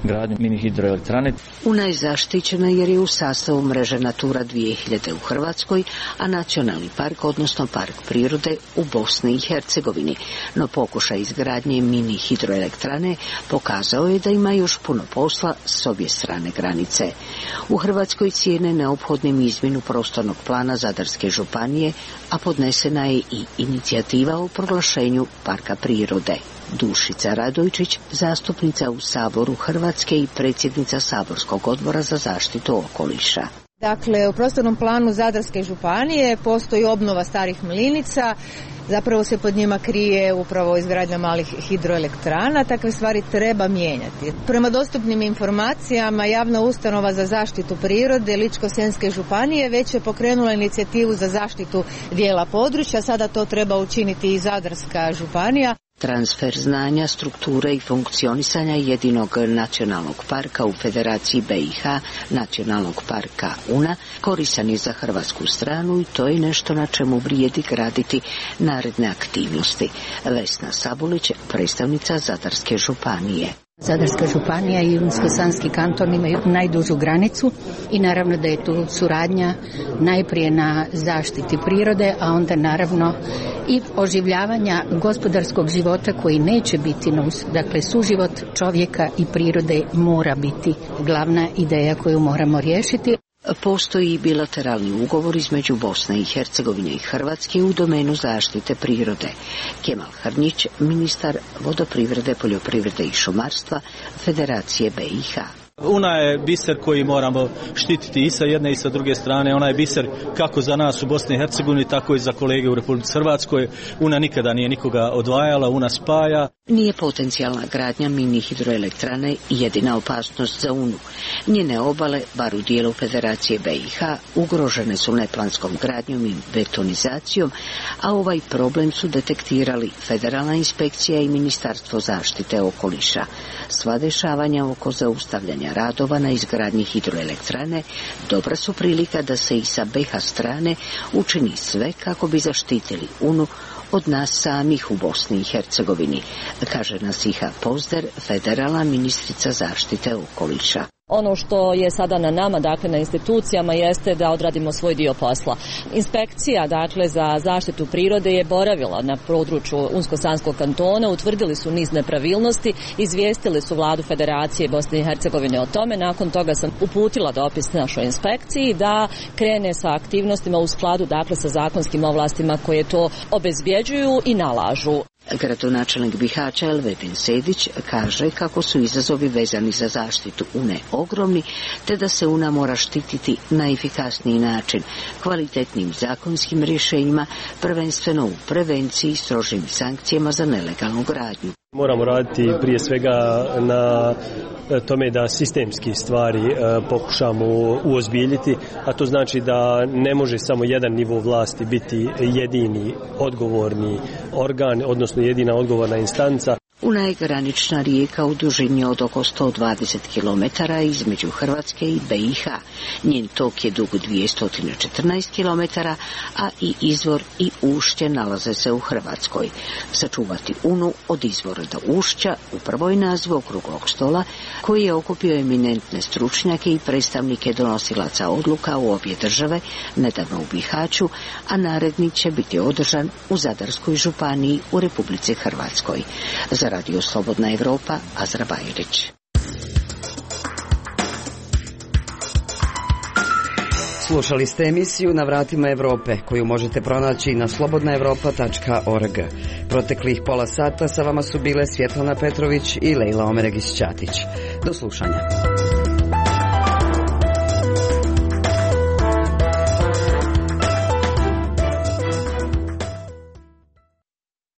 gradnju mini hidroelektrane. Una je zaštićena jer je u sastavu mreže Natura dvije hiljade u Hrvatskoj, a nacionalni park, odnosno park prirode, u Bosni i Hercegovini. No pokušaj izgradnje mini hidroelektrane pokazao je da ima još puno posla s obje strane granice. U Hrvatskoj cijene neophodnim izmjenu prostornog plana Zadarske županije, a podnesena je i inicijativa o proglašenju parka prirode. Dušica Radojčić, zastupnica u Saboru Hrvatske i predsjednica Saborskog odbora za zaštitu okoliša. Dakle, u prostornom planu Zadarske županije postoji obnova starih mlinica, zapravo se pod njima krije upravo izgradnja malih hidroelektrana, takve stvari treba mijenjati. Prema dostupnim informacijama, javna ustanova za zaštitu prirode Ličko-senjske županije već je pokrenula inicijativu za zaštitu dijela područja, sada to treba učiniti i Zadarska županija. Transfer znanja, strukture i funkcionisanja jedinog nacionalnog parka u Federaciji B i H, Nacionalnog parka Una, koristan je za hrvatsku stranu i to je nešto na čemu vrijedi graditi naredne aktivnosti. Vesna Sabulić, predstavnica Zadarske županije. Zadarska županija i Unsko-sanski kanton imaju najdužu granicu i naravno da je tu suradnja najprije na zaštiti prirode, a onda naravno i oživljavanja gospodarskog života koji neće biti, dakle suživot čovjeka i prirode mora biti glavna ideja koju moramo riješiti. Postoji i bilateralni ugovor između Bosne i Hercegovine i Hrvatske u domenu zaštite prirode. Kemal Hrnjić, ministar vodoprivrede, poljoprivrede i šumarstva Federacije B i H. Una je biser koji moramo štititi i sa jedne i sa druge strane. Ona je biser kako za nas u Bosni i Hercegovini, tako i za kolege u Republici Hrvatskoj. Una nikada nije nikoga odvajala, Una spaja. Nije potencijalna gradnja mini hidroelektrane jedina opasnost za Unu. Njene obale, bar u dijelu Federacije B i H, ugrožene su neplanskom gradnjom i betonizacijom, a ovaj problem su detektirali Federalna inspekcija i Ministarstvo zaštite okoliša. Sva dešavanja oko zaustavljanja radova na izgradnji hidroelektrane dobra su prilika da se i sa B H strane učini sve kako bi zaštitili Unu od nas samih u Bosni i Hercegovini, kaže Nasiha Pozder, federalna ministrica zaštite okoliša. Ono što je sada na nama, dakle na institucijama, jeste da odradimo svoj dio posla. Inspekcija, dakle, za zaštitu prirode je boravila na području Unsko-Sanskog kantona, utvrdili su niz nepravilnosti, izvijestili su vladu Federacije Bosne i Hercegovine o tome. Nakon toga sam uputila dopis našoj inspekciji da krene sa aktivnostima u skladu, dakle, sa zakonskim ovlastima koje to obezbjeđuju i nalažu. Gradonačelnik Bihaća Elvedin Sedić kaže kako su izazovi vezani za zaštitu Une ogromni, te da se Una mora štititi na efikasniji način, kvalitetnim zakonskim rješenjima, prvenstveno u prevenciji i strožim sankcijama za nelegalnu gradnju. Moramo raditi prije svega na tome da sistemski stvari pokušamo uozbiljiti, a to znači da ne može samo jedan nivo vlasti biti jedini odgovorni organ, odnosno jedina odgovorna instanca. Una je granična rijeka u dužini od oko sto dvadeset kilometara između Hrvatske i B i H. Njen tok je dug dvjesto četrnaest kilometara, a i izvor i ušće nalaze se u Hrvatskoj. Sačuvati Unu od izvora do ušća upravo je naziv okruglog stola koji je okupio eminentne stručnjake i predstavnike donosilaca odluka u obje države, nedavno u Bihaću, a naredni će biti održan u Zadarskoj županiji u Republici Hrvatskoj. Za Radio Slobodna Evropa, Azra Bajrić. Slušali ste emisiju Na vratima Evrope, koju možete pronaći na slobodna evropa tačka org. Proteklih pola sata sa vama su bile Svjetlana Petrović i Lejla Omeregić-Ćatić. Do slušanja.